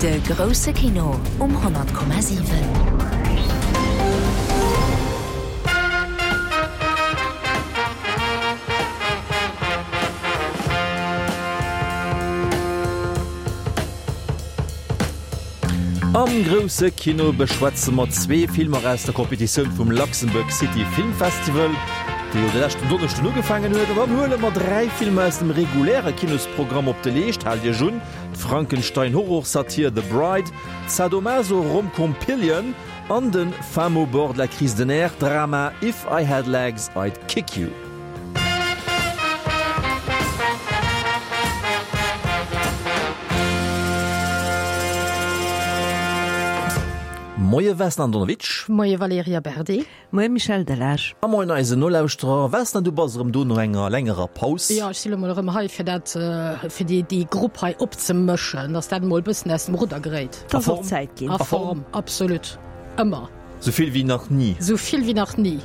De grousse Kino um 100,7. Am grousse Kino beschwätze mer zwee Filmer aus der Competitioun vum Luxembourg City Film Festival, dee jo de leschten Donneschden ugefaangen huet. An dann huele mer 3 Filmer aus dem reguläre Kinosprogramm op de Leescht. Haalt Iech un, D'Frankenstein-Horrorsatir The Bride, d'Sadomaso-Romcom Pillion an de Femme au bord de la crise de nerfs Drama If I Had Legs, I'd Kick You. Moie Vesna Andonovic. Moie Valerija Berdi. Moie Michel Delage. A moien eisen Nolauschterer. Vesna, du bass erëm do no enger längerer Paus. Jo, ech si lo mol erëm hei fir dat, fir déi, déi Grupp hei opzemëschen, dass dat emol e bëssen aus dem Rudder geréit. Et ass och Zäit ginn. A Form, absolut, ëmmer. Sou vill wéi nach ni. Sou vill wéi nach ni.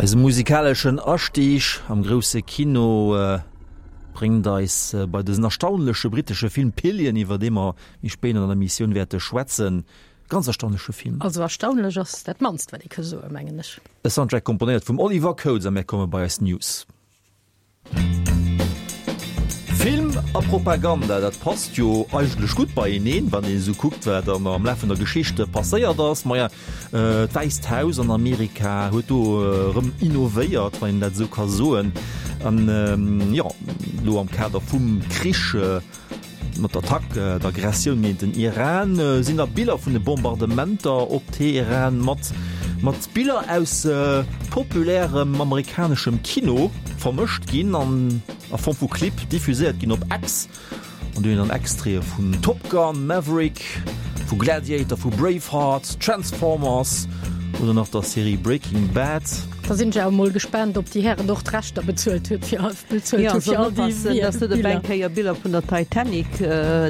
Eise musikaleschen Astieg am grousse Kino bréngt eis bei dësen erstaunleche brittesche Film Pillion, iwwer dee mer méi spéit an der Emissioun wäerte schwätzen. Ganz erstaunleche Film. Also erstaunlech ass dat mannst, wat ee ka soen, mengen ech. E Soundtrack komponéiert vum Oliver Coates a mir komme bei eis News. Film a Propaganda, dat passt jo eigentlech gutt beieneen, wann een esou kuckt, wat am Laf vun der Geschicht passéiert ass. Maja, d'Wäisst Haus an Amerika huet do erëm innovéiert, wann een dat esou ka soen. An jo, elo am Kader vum Krich, Mat der Attack, der Aggressioun géint den Iran, sinn da Biller vun de Bombardementer op Teheran mat mat Biller aus populärem amerikaneschem Kino vermëscht ginn an a Form vu Clip diffuséiert ginn op X. An do hunn dann Extraite vun Top Gun, Maverick, vu Gladiator, vu Braveheart, Transformers oder nach der Serie Breaking Bad. Da sinn ech awer mol gespaant, ob déi Hären och d'Rechter bezuelt huet fir bezuelt Jo, hu fir soll all déi oppassen, dass net op eng Biller. Kéier Biller vun der Titanic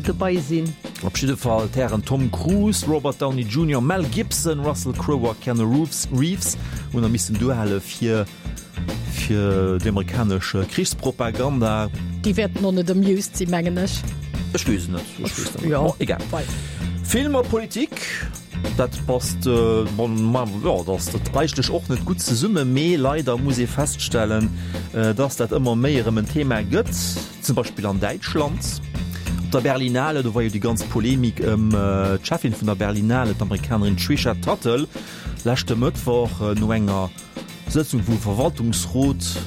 dobei sinn. Op jidde Fall d'Hären Tom Cruise, Robert Downey Junior, Mel Gibson, Russell Crowe a Keanu Reeves hunn da missen duerhale fir fir déi amerikanesch Krichspropaganda. Déi wäerten och net amused sinn, mengen ech. Ech weess et net, ech weess et net. Jo, Bon, egal. wei. Film a Politik. Dat passt, bon, jo, dat ass dat eigentlech och net gutt zesumme, mee leider muss ee feststellen, dass dat ëmmer méi erëm en Thema gëtt, zum Beispill an Däitschland op der Berlinale. Do war jo déi ganz Polemik ëm d'Cheffin vun der Berlinale, d'Amerikanerin Tricia Tuttle, leschte Mëttwoch no enger Sëtzung vum Verwaltungsrot.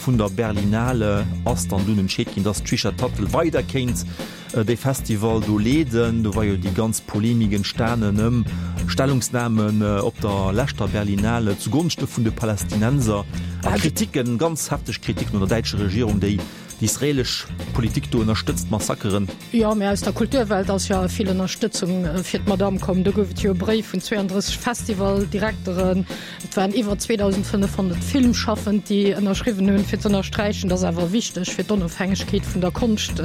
vun der Berlinale ass dann dunn entscheet ginn, dass d'Trisha Tuttle weider kéint dee Festival do leeden. Do war jo déi ganz Polemik entstanen ëm Stellungsnamen op der leschter Berlinale zugonschte vun de Palästinenser a Kritiken, ganz hefteg Kritiken un der däitscher Regierung, déi déi israelesch Politik do ënnerstëtzt, Massakeren. Jo, mä aus der Kulturwelt ass jo vill Ënnerstëtzung fir d'Madame komm. Do gouf et jo e Bréif vun 32 Festivaldirekteren. Et waren iwwer 2.500 Filmschaffend, déi ënnerschriwwen hunn, fir z'ënnersträichen, dass awer wichteg fir d'Onofhängegkeet vun der Konscht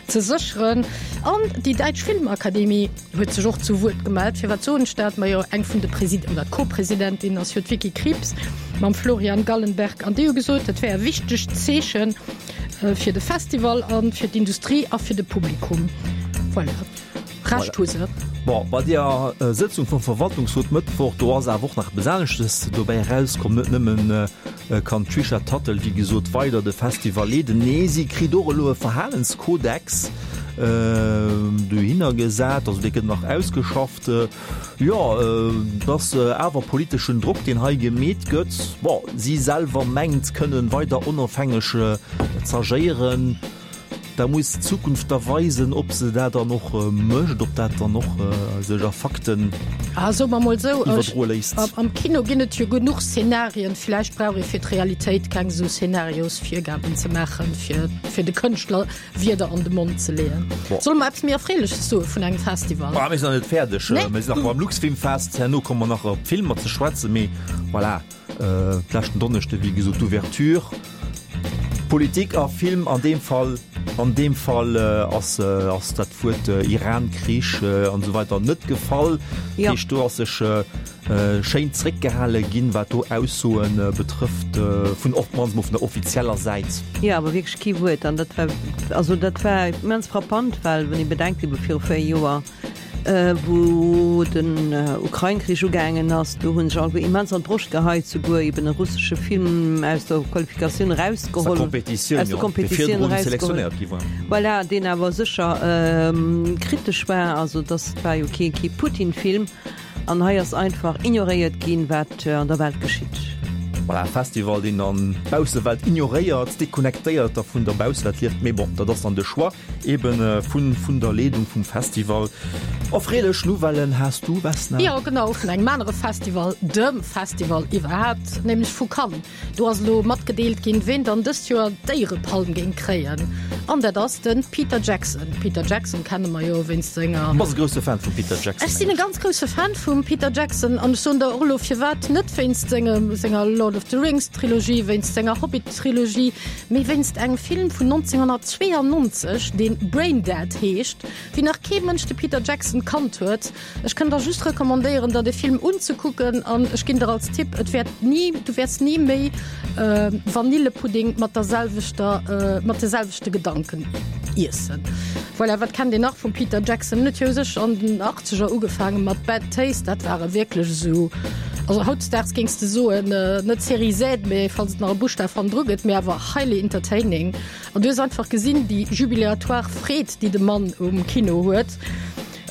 ze sécheren. An déi Däitsch Filmakademie huet sech och zu Wuert gemellt. Firwat soen ech dat? Majo, eng vun de Presid oder d'Co-Presidentin ass jo d'Vicky Krieps mam Florian Gallenberg an déi hu gesot, dat wär e wichtegt Zeeche fir de Festival a fir d'Industrie a fir de Publikum. Voilà. Recht hu se. Bon, bei deeër Sëtzung vum Verwaltungsrot Mëttwoch, do ass awer och nach eppes aneschtes dobäi erauskomm. Net nëmmen kann d'Trisha Tuttle, wéi gesot, weider de Festival leeden, nee, si kritt och elo e Verhalenskodex dohinner gesat, also dee gëtt nach ausgeschafft. Jo, et ass awer politeschen Drock, deen hei gemeet gëtt. Bon, si selwer mengt kënnen weider onofhängeg z'agéieren. Da muss d'Zukunft da weisen, ob se dat dann och mécht, ob dat dann och sech a Fakten Ah, soe mer mol esou, iwwerdroe léisst. Am Kino ginn et jo genuch Szenarien. Vläicht brauch ee fir d'Realitéit keng esou Szenariosvirgaben ze maachen, fir, fir de Kënschtler Wierder an de Mond ze leeën. Bon. Solle mer eppes méi Erfreeleches soe vun engem Festival? Ah, mir sinn nach net fäerdeg. Nee. Mir sinn nach beim Luxfilmfest. Herno komme mer nach op d'Filmer ze schwätzen. Mee voilà. D'leschten Donneschde wéi gesot d'Ouverture. Politik a Film an deem Fall, an deem Fall ass ass dat Wuert Iran-Krich an esou weider net gefall. Dat heescht do ass sech schéin zréckgehale ginn, wat do Aussoe betrëfft vun och d'mannst mol vun der offizieller Säit. Jo, awer wierklech kee Wuert an dat war, also dat war immens frappant, well wann ee bedenkt, ebe viru 4 Joer, Wou den Ukrain-Krich ugaangen ass, do hu sech alleguer immens an d'Broscht geheit, souguer eben e russesche Film aus der Qualifikatioun erausgeholl, aus der Kompetitioun erausgeholl, voilà, deen awer sécher kritesch war. Also dass war jo kee kee Putin-Film. An hei ass einfach ignoréiert ginn, wat an der Welt geschitt. Voilà, e Festival, deen dann d'Baussewelt ignoréiert, deconnectéiert da vun der Baussewelt lieft. Mee bon, dat ass dann de Choix. Eben vun vun der Leedung vum Festival. Erfreelech Nouvellen has du, Vesna? Jo, genau, vun engem anere Festival, dem Festival iwwerhaapt, nämlech vu Cannes. Do ass elo matgedeelt ginn, ween dann dëst Joer d'Éierepalm géing kréien, an dat ass de Peter Jackson. Peter Jackson kenne mer jo wéinst senger. Du bass e grousse Fan vum Peter Jackson, Ech sinn e ganz grousse Fan vum Peter Jackson an ech soen der och elo firwat, net wéinst sengem senger Lord of the Rings Trilogie, wéinst senger Hobbit Trilogie, Mee wéinst engem Film vun 1992, deen Braindead heescht, wéi nach kee Mënsch de Peter Jackson kannt huet. Ech kënn der just recommandéieren, der de Film unzekucken an ech ginn der als Tipp, et wäert ni, du wäerts ni méi Vanillepudding mat der selwechter, mat de selwechte Gedanken iessen. Voilà, wat kennt een nach vum Peter Jackson? En huet jo u sech an den Achtzeger ugefaange mat Bad Taste, dat war e wierklech esou, also hautdesdaags géings de soen, net Série Z, mee falls et nach e Buschtaf hannendru gëtt, mee awer highly entertaining. An du hues einfach gesinn, déi jubilatoire Freed, déi de Mann um Kino huet.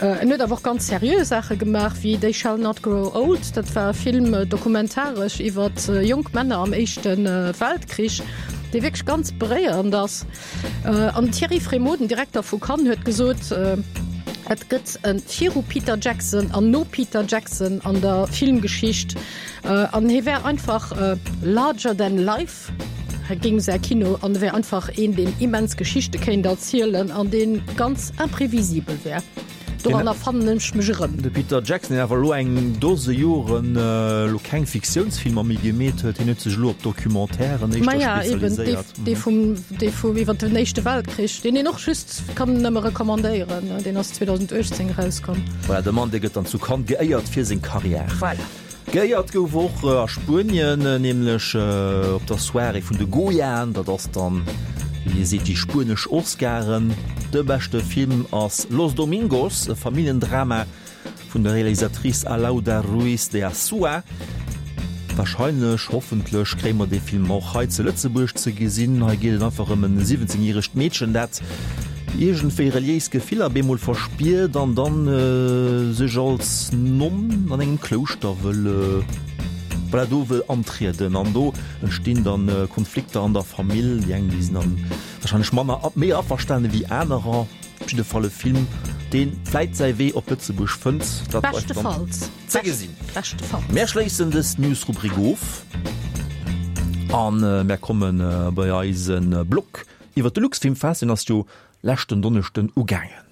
En huet awer och ganz seriö Saache gemaach, wéi They Shall Not Grow Old, dat war e Film, dokumentaresch iwwer jonk Männer am Éischte Weltkrich, dee wierklech ganz beréierend ass. An den Thierry Frémaux, den Direkter vu Cannes, huet gesot, et gëtt e viru Peter Jackson an no Peter Jackson an der Filmgeschicht. An hie wär einfach larger than life, hie géing säi Kino, an e wär einfach een, deen immens Geschichte kéint erzielen an dee ganz imprevisibel wär. Doranner fannen ech mech erëm. De Peter Jackson, deen awer elo eng Dose Joren elo keng Fiktiounsfilmer méi gemeet huet, hien huet sech elo op Documentairen éischter Maja, eben, dee, spezialiséiert. dee vum, dee vum iwwer den Éischte Weltkrich, deen een och just kann nëmme recommandéieren, deen ass 2018 erauskomm. Voilà, de Mann, dee gëtt dann zu Cannes geéiert fir seng Karriär. Voilà. Geéiert gouf och a Spuenien, nämlech op der Soirée vun de Goyaen, dat ass dann, wéi ee seet, déi spuenesch Oscaren. De beschte Film ass Los Domingos, e Familljendrama vun der Realisatrice Alauda Ruiz de Azúa. Warscheinlech, hoffentlech, kréie mer dee Film och hei zu Lëtzebuerg ze gesinn. Hei geet et einfach ëm en 17 järegt Meedchen, dat iergendwéi reliéis Gefiller bemol verspiert an dann sech als Nonn an engem Klouschter wëll. Voilà, do wëll antrieden an do entstinn dann Konflikter an der Famill. Déi eng, déi sinn dann wahrscheinlech manner, méi averstane wéi anerer. Op jidde Fall e Film, dee vläit säi Wee op Lëtzebuerg fënnt. Dat bleift dann ze gesinn. Mär schléissen dës News-Rubrik of an mär komme bei eise Blog iwwer de Luxfilmfest. Deen ass jo leschten Donneschden ugaangen.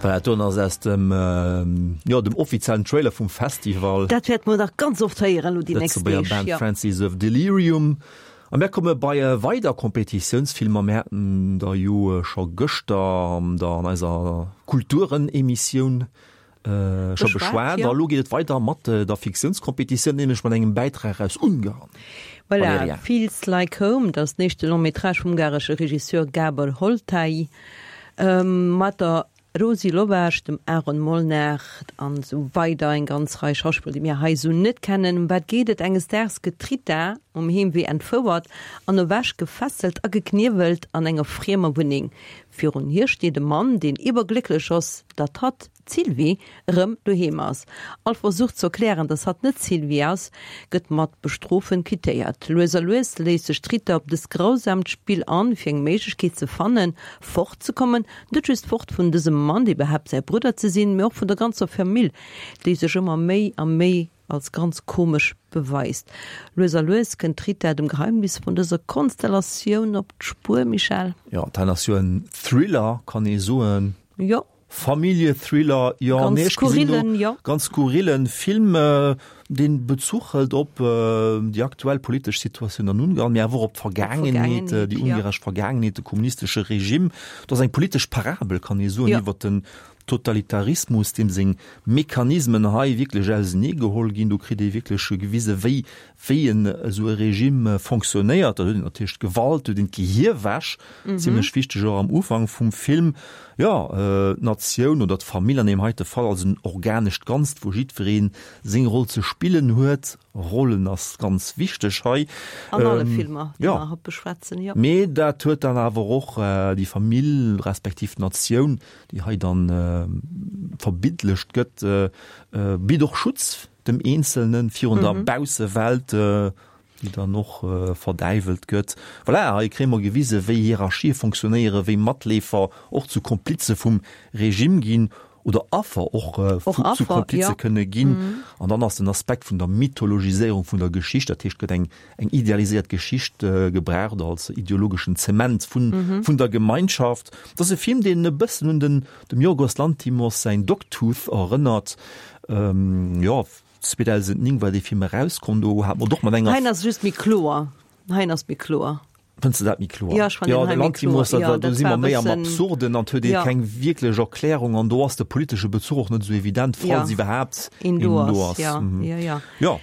Voilà, dat ass aus dem, jo, dem offiziellen Trailer vum Festival. Dat wäerte mer nach ganz oft héieren elo déi nächst Deeg. Lëtzebuerger Band Francis of Delirium. A mär komme bei weider Kompetitiounsfilmer. Mär haten der jo scho gëschter an der an eiser Kulturen-Emissioun scho beschwat. A lo geet et weider mat der Fiktiounskompetitioun, nämlech mat engem Bäitrag aus Ungarn. Voilà, Feels Like Home, dat ass den éischte Long-métrage vum ungaresche Regisseur Gábor Holtai mat der Rosi Lovász, dem Aaron Molnár an esou weider, eng ganz Rei Schauspiller, déi mir hei esou net kennen. Ëm wat geet et? Enges Daags gëtt d'Rita um Heemwee entfouert an ewech gefesselt a gekniewelt an enger friemer Wunneng. Virun hir steet e Mann, deen iwwerglécklech ass, datt hatt, d'Sylvie, erëm doheem ass. All Versuch ze erklären, datt hatt net d'Sylvie ass, gëtt mat Bestrofen quittéiert. Lues a lues léisst sech d'Rita op dëst grausamt Spill an, fir eng Méiglechkeet ze fannen, fortzekommen. Net just fort vun dësem Mann, dee behaapt säi Brudder ze sinn, mee och vun der ganzer Famill, déi sech ëmmer méi a méi als ganz komesch beweist. Lues a lues kënnt d'Rita dem Geheimnis vun dëser Konstellatioun op d'Spuer. Michèle? Jo, dat ass jo en Thriller, kann ee soen. Jo. Familljethriller, jo, Ganz nee, ech gesinn do skurrillen, jo. ganz skurrillen Film, deen Bezuch hëlt op déi aktuell politesch Situatioun an Ungarn, mee awer och op d'Vergaangenheet, déi jo. ungaresch Vergaangenheet, de kommunistesche Regime. Et ass eng politesch Parabel, kann ee soen, Jo. iwwer den Totalitarismus, deem seng Mechanismen hei wierklech ausenee geholl ginn. Do kritt ee wierklech gewise wéi wéi en esou e Regime fonctionnéiert. Da huet een natierlech d'Gewalt, huet een d'Gehirwäsch, zimlech wichteg och am Ufank vum Film. Jo, d'Natioun oder d'Famill an deem heite Fall als en organescht Ganzt, wou jiddweree seng Roll ze spillen huet. Rollen ass ganz wichteg hei. An alle Filmer, déi mer haut beschwätzen, jo. Mee dat huet dann awer och déi Famill respektiv d'Natioun, déi hei dann verbildlecht gëtt, bitt och Schutz dem Eenzelne virun der Baussewelt, déi dann och verdäiwelt gëtt. Voilà, hei kréie mer gewise wéi Hierarchië fonctionnéieren, wéi Matleefer och zu Komplize vum Regime ginn oder Affer och zu Komplize kënne ginn. An dann ass den Aspekt vun der Mythologiséierung vun der Geschicht, dat heescht, gëtt eng eng idealiséiert Geschicht gebraucht als ideologeschen Zement vun vun der Gemeinschaft. Dat ass e Film, deen e bëssen un den dem Yorgos Lanthimos säin Dogtooth erënnert. Jo, 2009 war dee Film erauskomm, do hat mer och mat enger. Hein ass just méi kloer, hein ass méi kloer. Fënns de dat méi kloer? Jo, ech fannen den hei méi kloer. Jo, dat do si mer méi am Absurden an huet ee keng wierklech Erklärung an do ass de politesche Bezuch och net esou evident, falls iwwerhaapt een do ass. Jo, jo, jo. Jo.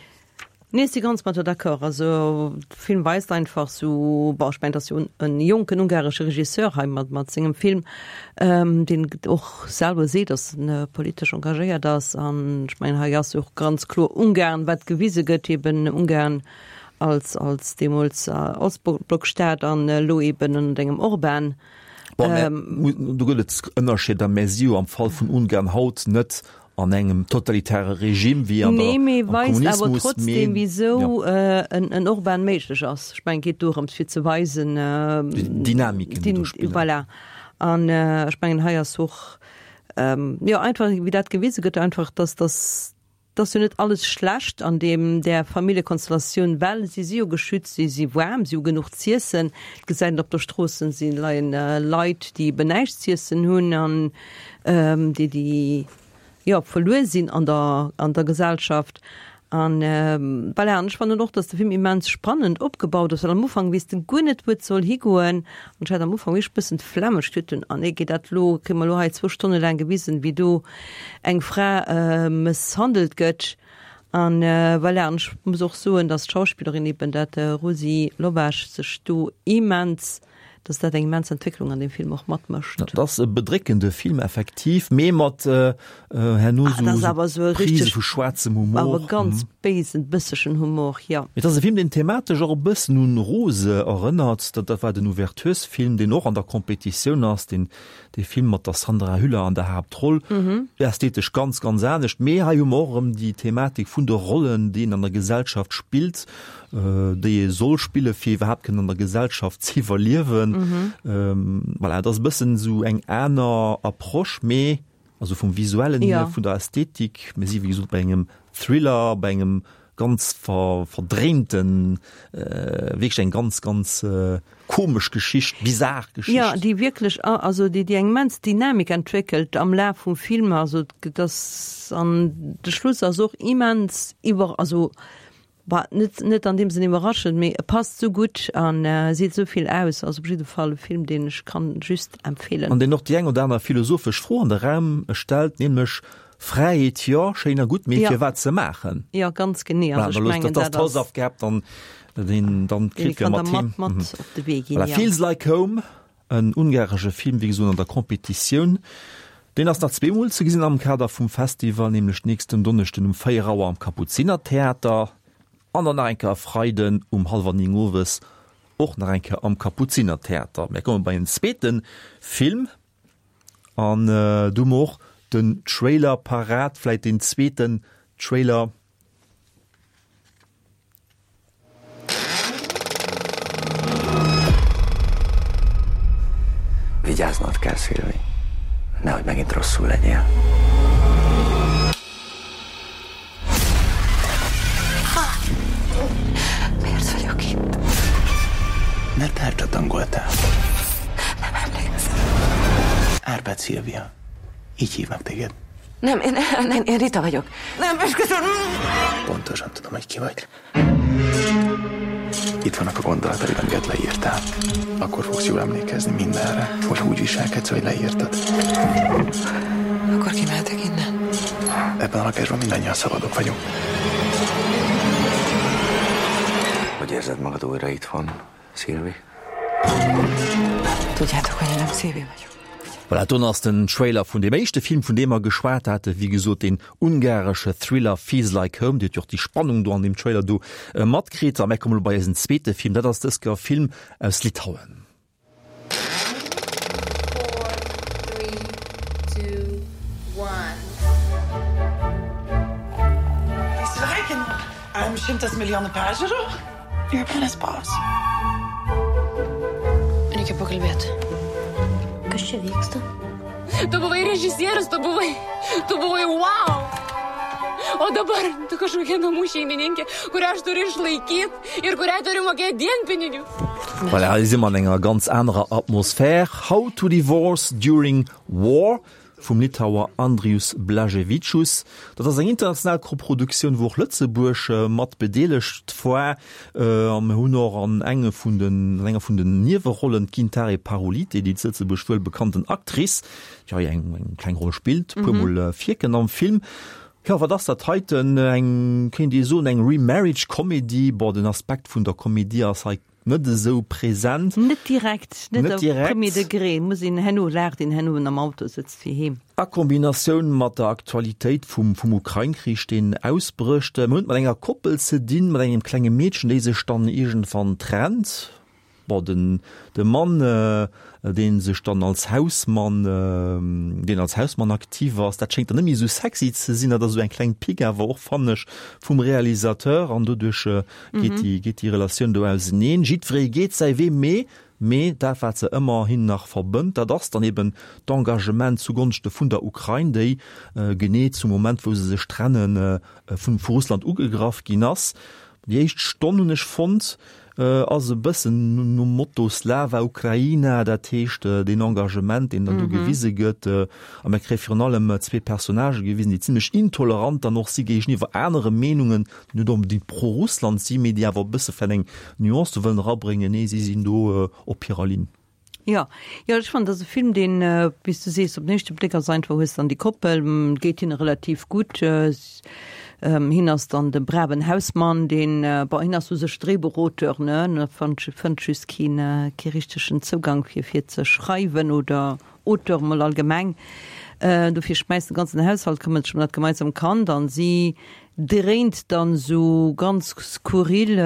Nee, ech si ganz mat der d'accord. Also de Film weist einfach sou, bon, ech mengen, et ass jo en jonken ungaresche Regisseur hei mat mat sengem Film, deen och selwer seet, datt en politesch engagéiert ass. An ech mengen, hei ass jo och ganz kloer Ungarn, wat gewise gëtt, eben Ungarn als als deemools Ostblockstaat an elo eben ënnert engem Orbán. Bon, mä do gëtt et Ënnerscheeder, mä si jo am Fall vun Ungarn haut net an engem totalitäre Regime wéi an der, Nee, mee am weist awer Kommunismus, trotzdem, mee wisou ja. en, en Orban méiglech ass. Ech mengen, et geet dorëms fir ze weisen, Déi Dynamiken, déi do spillen. Voilà. An ech mengen, hei ass och, jo, einfach wéi dat gewise gëtt, einfach, dass, dass, dass jo net alles schlecht an deem, där Familljekonstellatioun, well si si jo geschützt, si si waarm, si hu genuch z'iessen. Et gesäit een op der Strooss, si leien Leit, déi eben näischt z'iessen hunn an déi, déi, jo, verluer sinn an der, an der Gesellschaft. An voilà, an ech fannen och, dass de Film immens spannend opgebaut ass, well am Ufank weess de guer net, wou et soll higoen. An ech hat am Ufank wierklech e bëssen d'Flemm, ech duecht dunn, ah nee, geet dat elo, kréie mer elo hei zwou Stonne laang gewisen, wéi do eng Fra mësshandelt gëtt. An voilà, an ech muss och soen, dass d'Schauspillerin eben, dat Rosi Lovász, sech do immens. Dass dat eng immens Entwécklung an deem Film och matmécht. Dat ass e bedréckende Film effektiv, mee mat herno esou Prise vu schwaarzem Humor. Awer ganz béisen, bëssegen Humor, jo. Et ass e Film, deen thematesch och e bëssen un Rose erënnert. Dat war den Ouverturesfilm, deen och an der Competitioun ass, deen dee Film mat der Sandra Hüller an der Haaptroll. Ästhetesch ganz, ganz anescht, mee hei hu mer och erëm déi Thematik vun de Rollen, déi een an der Gesellschaft spillt. déi ee soll spille fir iwwerhaapt kënnen an der Gesellschaft ze iwwerliewen. Voilà, et ass e bëssen esou eng aner Approche, mee also vum Visuellen hier, vun der Ästhetik, mir si wéi gesot bei engem Thriller, bei engem ganz ver verdréinten, wierklech eng ganz, ganz komesch Geschicht, bizar Geschicht. Jo, déi wierklech, also déi déi eng immens Dynamik entwéckelt am Laf vum Film, also et ass, an de Schluss ass och immens iwwer, also Bah, net, net an deem Sënn iwwerraschend, mee e passt sou gutt an seet sou vill aus. Ass op jidde Fall e Film, deen ech kann just empfeelen. An deen och déi eng oder aner philosophesch Fro an de Raum stellt, nämlech, Fräiheet, jo, schéin a gutt, mee firwat se maachen? Jo, ganz genee. Also ech mengen, dat ass d'Hausaufgab dann, deen dann kritt, fir mat heem. Mat op de Wee ginn, jo. Feels Like Home. En ungaresche Film, wéi gesot an der Competitioun. Deen ass nach zweemol ze gesinn am Kader vum Festival, nämlech nächsten Donneschden um 4 Auer am Kapuzinertheater an dann nach eng Kéier e Freiden um hallwer 9 owes och nach eng Kéier am Kapuzinertheater. Mir komme bei en zweete Film an do hu mer och den Trailer parat, vläit deen zweeten Trailer. Vigyáznod kell, Szilvi. Nehogy megint rosszul legyél. Miért vagyok itt? Mert tárcsatangoltál. Nem emlékszem. Árpád Szilvia. Így hívnak téged. Nem, én, én, én Rita vagyok. Nem, esküszöm! Pontosan tudom, hogy ki vagy. Itt vannak a gondolataid, amiket leírtál. Akkor fogsz jól emlékezni mindenre, hogy úgy viselkedsz, hogy leírtad. Akkor kimehetek innen? Ebben a lakásban mindannyian szabadok vagyunk. Hogy érzed magad újra itthon, Szilvi? Tudjátok, hogy én nem Szilvi vagyok. Voilà, do ass den Trailer vun deem éischte Film, vun deem mer geschwat haten, wéi gesot deen ungaresche Thriller Feels Like Home. Dir hutt jo och déi Spannung do an deem Trailer do matkritt. A mär kommen elo bei eisen zweete Film, dat ass dës Kéier e Film aus Litauen. Four, three, two, one. Sveikinu. You're boss. Reikia pakalbėt. Kas čia vyksta? Tu buvai režisierius, tu buvai, tu buvai wow. O dabar tu kažkokia namų šeimininkė, kurią aš turiu išlaikyt ir kuriai turiu mokėt dienpinigius. Voilà, hei si mer an enger ganz anerer Atmosphär. How to Divorce During War vum Litauer Andrius Blaževičius. Dat ass eng international Koproduktioun, wou och Lëtzebuerg mat bedeelegt war. A mir hunn och an enge vun den, an enger vun den Niewerollen d'Gintarė Parulytė, déi zu Lëtzebuerg wuel bekannten Actrice, déi hei eng, eng kleng Roll spillt, e puermol virkënnt am Film. Jo, wat ass dat heiten? Eng, kéint ee soen, eng Remarriage-Comedy. Bon, den Aspekt vun der Komedie ass hei Net esou present. Net direkt, net op premier degré, muss een herno, laacht een herno, wann am Auto sëtzt fir heem. A Kombinatioun mat der Aktualitéit vum vum Ukrain-Krich, deen ausbrécht. Mir hunn et mat enger Koppel ze dinn, mat engem klenge Meedchen, déi sech dann iergendwann trennt. Bon, den de Mann, dee sech dann als Hausmann, deen als Hausmann aktiv ass, dat schéngt dann net méi esou sexy ze sinn. Dat ass esou eng kleng Pique awer och, fannen ech, vum Realisateur an doduerch geet déi, geet déi Relatioun do auseneen. Jiddweree geet säi Wee, mee, mee dat wat se ëmmerhin nach verbënnt, dat ass dann eben d'Engagement zugonschte vun der Ukrain, déi genee zum Moment wou se sech trennen, vu vu Russland ugegraff ginn ass. Déi éischt Stonn hunn ech fonnt, ass e bëssen nom Motto Slava Ukraina, dat heescht deen Engagement, deen dann do gewise gëtt. A mir kréie virun allem zwee Personnagë gewisen, déi zimlech intolerant dann och si géigeniwwer anere Meenungen, déi net onbedéngt pro-Russland si, mee déi awer e bësse vläicht eng Nuance do wëllen erabréngen. Nee, si sinn do op hirer Linn. Jo, jo, ech fannen, dat ass e Film, deen, wéi s du sees, op den éischte Bléck ass einfach, hues dann déi Koppel, geet hinne relativ gutt. Hien ass dann de braven Hausmann, deen, bon, hien ass u sech Dréibuchauteur, ne, en fënnt, fënnt just keen, kee richtegen Zougang fir, fir ze schreiwen oder Auteur mol allgemeng. Dofir schmäisst de ganzen Haushalt, këmmert sech ëm dat gemeinsam Kand an si dréint dann esou ganz skurril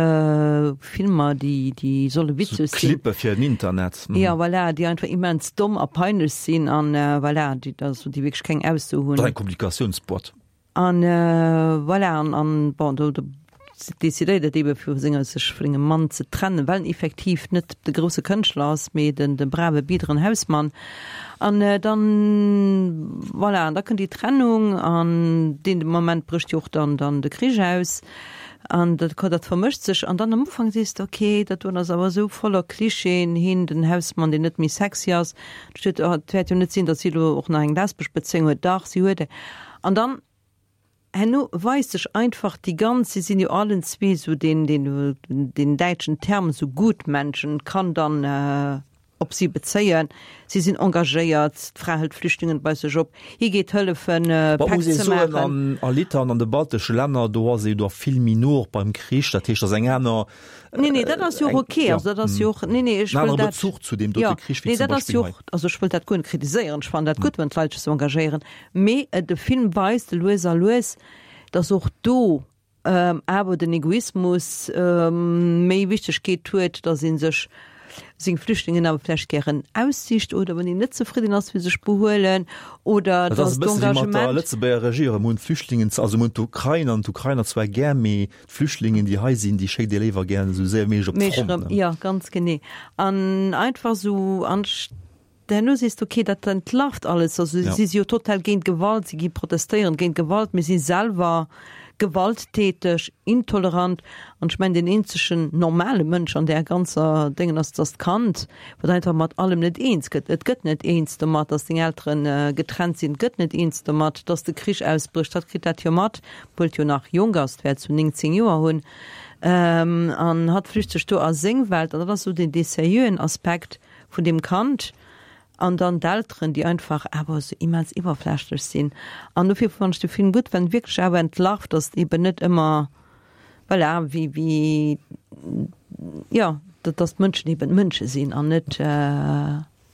Filmer, déi, déi solle witzeg sinn. Clippe fir den Internet. Jo, voilà, déi einfach immens domm a peinlech sinn an voilà, déi, also déi wierklech keng Ausso hunn. Dat ass eng Kommunikatiounsboîte. An voilà, an, an bon, do, do decidéiert et ebe vu senger, sech vu sengem Mann ze trennen, well en effektiv net de grousse Kënschtler ass, mee den, de brave biederen Hausmann. An dann, voilà, an da kënnt déi Trennung an deen Moment brécht jo och dann, dann de Krich aus an dat, dat vermëscht sech. An dann am Ufank sees de, okay, dat doen ass awer esou voller Klischeeën, hien, den Hausmann, deen net méi sexy ass, do steet, oh, et wäert jo net sinn, datt si elo och nach eng lesbesch Bezéiung huet, dach, si huet eng. An dann herno weist sech einfach déi ganz, si sinn jo allen zwee esou deen, deen, deen däitschen Term esou Gutmenschen kann dann op si bezéien. Si sinn engagéiert, d'Fra hëlt Flüchtlingen bei sech op, hie geet hëllefen Päck muss ee ze soen, maachen. an a Litauen, an de baltesche Länner, do ass ee jo da vill méi no och beim Krich, dat heescht, dat ass eng aner, Nee, nee, dat ass jo och ok. Ja. Also dat ass jo och, nee, nee, ech En wëll anere dat, Bezuch zu deem dote ja, Krich wéi nee, zum dat ass Beispill jo hei. och, also ech wëll dat guer net kritiséieren, ech fannen dat gutt, wann d'Leit sech esou engagéieren, mee de Film weist lues a lues, datt och do awer den Egoismus méi Wichtegkeet huet, datt ee sech seng Flüchtlingen awer vläicht gären aussicht oder wann een net zefridden ass, wéi se sech behuelen oder Dat ass datt e bësse wéi mat der d'Engagement. Lëtzebuerger Regierung. Mir hunn d'Flüchtlingen, also mir hunn d'Ukrain an d'Ukrainer zwar gär, mee D'Flüchtlingen, déi hei sinn, déi schéckt Dir léiwer gären esou séier wéi méiglech op d'Front, ne? Jo, ganz genee. An einfach esou, an herno sees de, okay, dat entlarvt alles. Also si si jo total géint Gewalt, si gi protestéieren géint Gewalt, mee si selwer gewalttäteg, intolerant. An ech mengen, deen eenzegen normale Mënsch an där ganzer Déngen ass, ass d'Kand, wat einfach mat allem net eens gëtt. Et gëtt net eens domat, datt seng Eltere getrennt sinn, et gëtt net eens domat, datt de Krich ausbrécht. Hatt kritt dat jo mat. Obwuel et jo nach jonk ass, et wäert sou 19 Joer hunn, an hatt flücht sech do a seng Welt, an dat ass sou deen dee seriöen Aspekt vun deem Kand, an dann d'Elteren, déi einfach awer sou immens iwwerflächlech sinn. An dofir fannen ech de Film gutt, well en wierklech awer entlarvt, datt et eben net ëmmer, voilà, wéi, wéi, jo, datt d'Mënschen eben Mënsche sinn an net.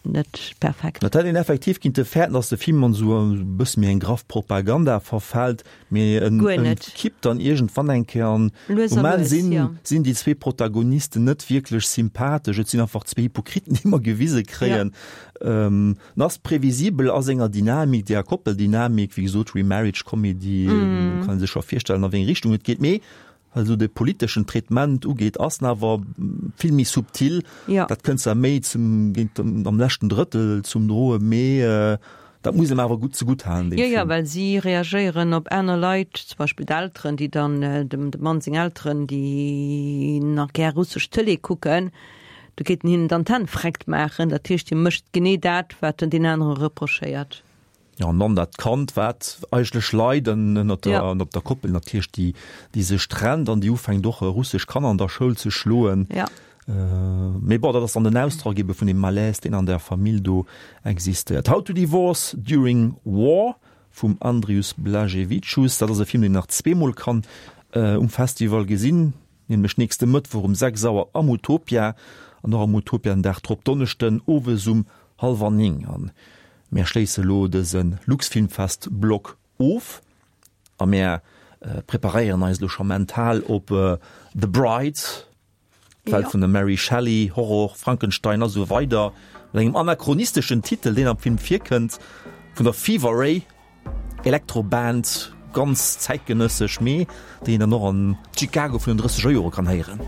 Net perfekt. Et hätt een effektiv kinnte fäerten, dass de Film an esou e bësse méi eng graff Propaganda verfält, mee en kippt dann iergendwann eng Kéier an um Enn sinn, sinn déi zwee Protagonisten net wierklech sympathesch, et sinn einfach zwee Hypokriten, déi mer gewise kréien. En ass previsibel a senger Dynamik, där Koppeldynamik, wéi gesot Remarriage Comedy, kann ee sech scho virstellen, a wéi eng Richtung et geet, mee Wat esou de politeschen Traitement ugeet, ass en awer vill méi subtil. Ja. Dat kënnt zwar méi zum, géint am leschten Drëttel zum Droe, mee dat muss em awer gutt zegutt halen, deem Film. Jo, jo, well si reagéieren op aner Leit, zum Beispill d'Elteren, déi dann, dem Mann seng Elteren, déi nach gär russesch Tëlee kucken, do géint en hinnen d'Antenn vreckt maachen. Dat heescht, hie mécht genee dat, wat en deen anere reprochéiert. Jo, an dann dat Kand, wat eigentlech leit ënnert der, ja. ënnert der Koppel natierlech, déi, déi sech trennt an déi ufänkt och russesch Kanner an der Schoul ze schloen. Ja. Äh, mee bon, dat ass dann den Ausdrock ebe vun dem Malaise, deen an der Famill do existéiert. How to Divorce During War vum Andrius Blaževičius, dat ass e Film, deen een nach zweemol kann äh, um Festival gesinn, nämlech nächste Mëttwoch um 6 Auer am Utopia an och am Utopia den Dag drop, Donneschden owes um hallwer 9. An Mär schléisse lo dëse Luxfilmfest-Blog of a mär preparéieren eis lo scho mental op The Bride, d'Welt vun der Mary Shelley, Horror, Frankenstein a sou weider, mat engem anachronisteschen Titel, deen am Film virkënnt, vun der Fever Ray Elektroband, ganz zäitgenëssesch, mee déi een dann och an Chicago vun den drësseger Jore kann héieren.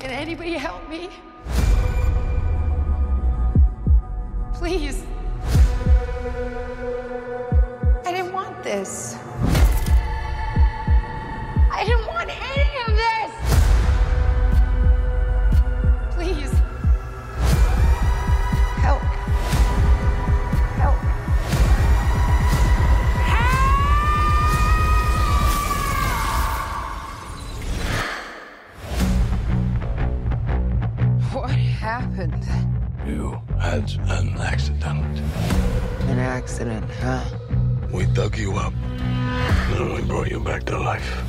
Can anybody help me? Please. I didn't want this. I didn't want any of this. Please. Help. Help. What happened? You had an accident. An accident, huh? We dug you up and we brought you back to life.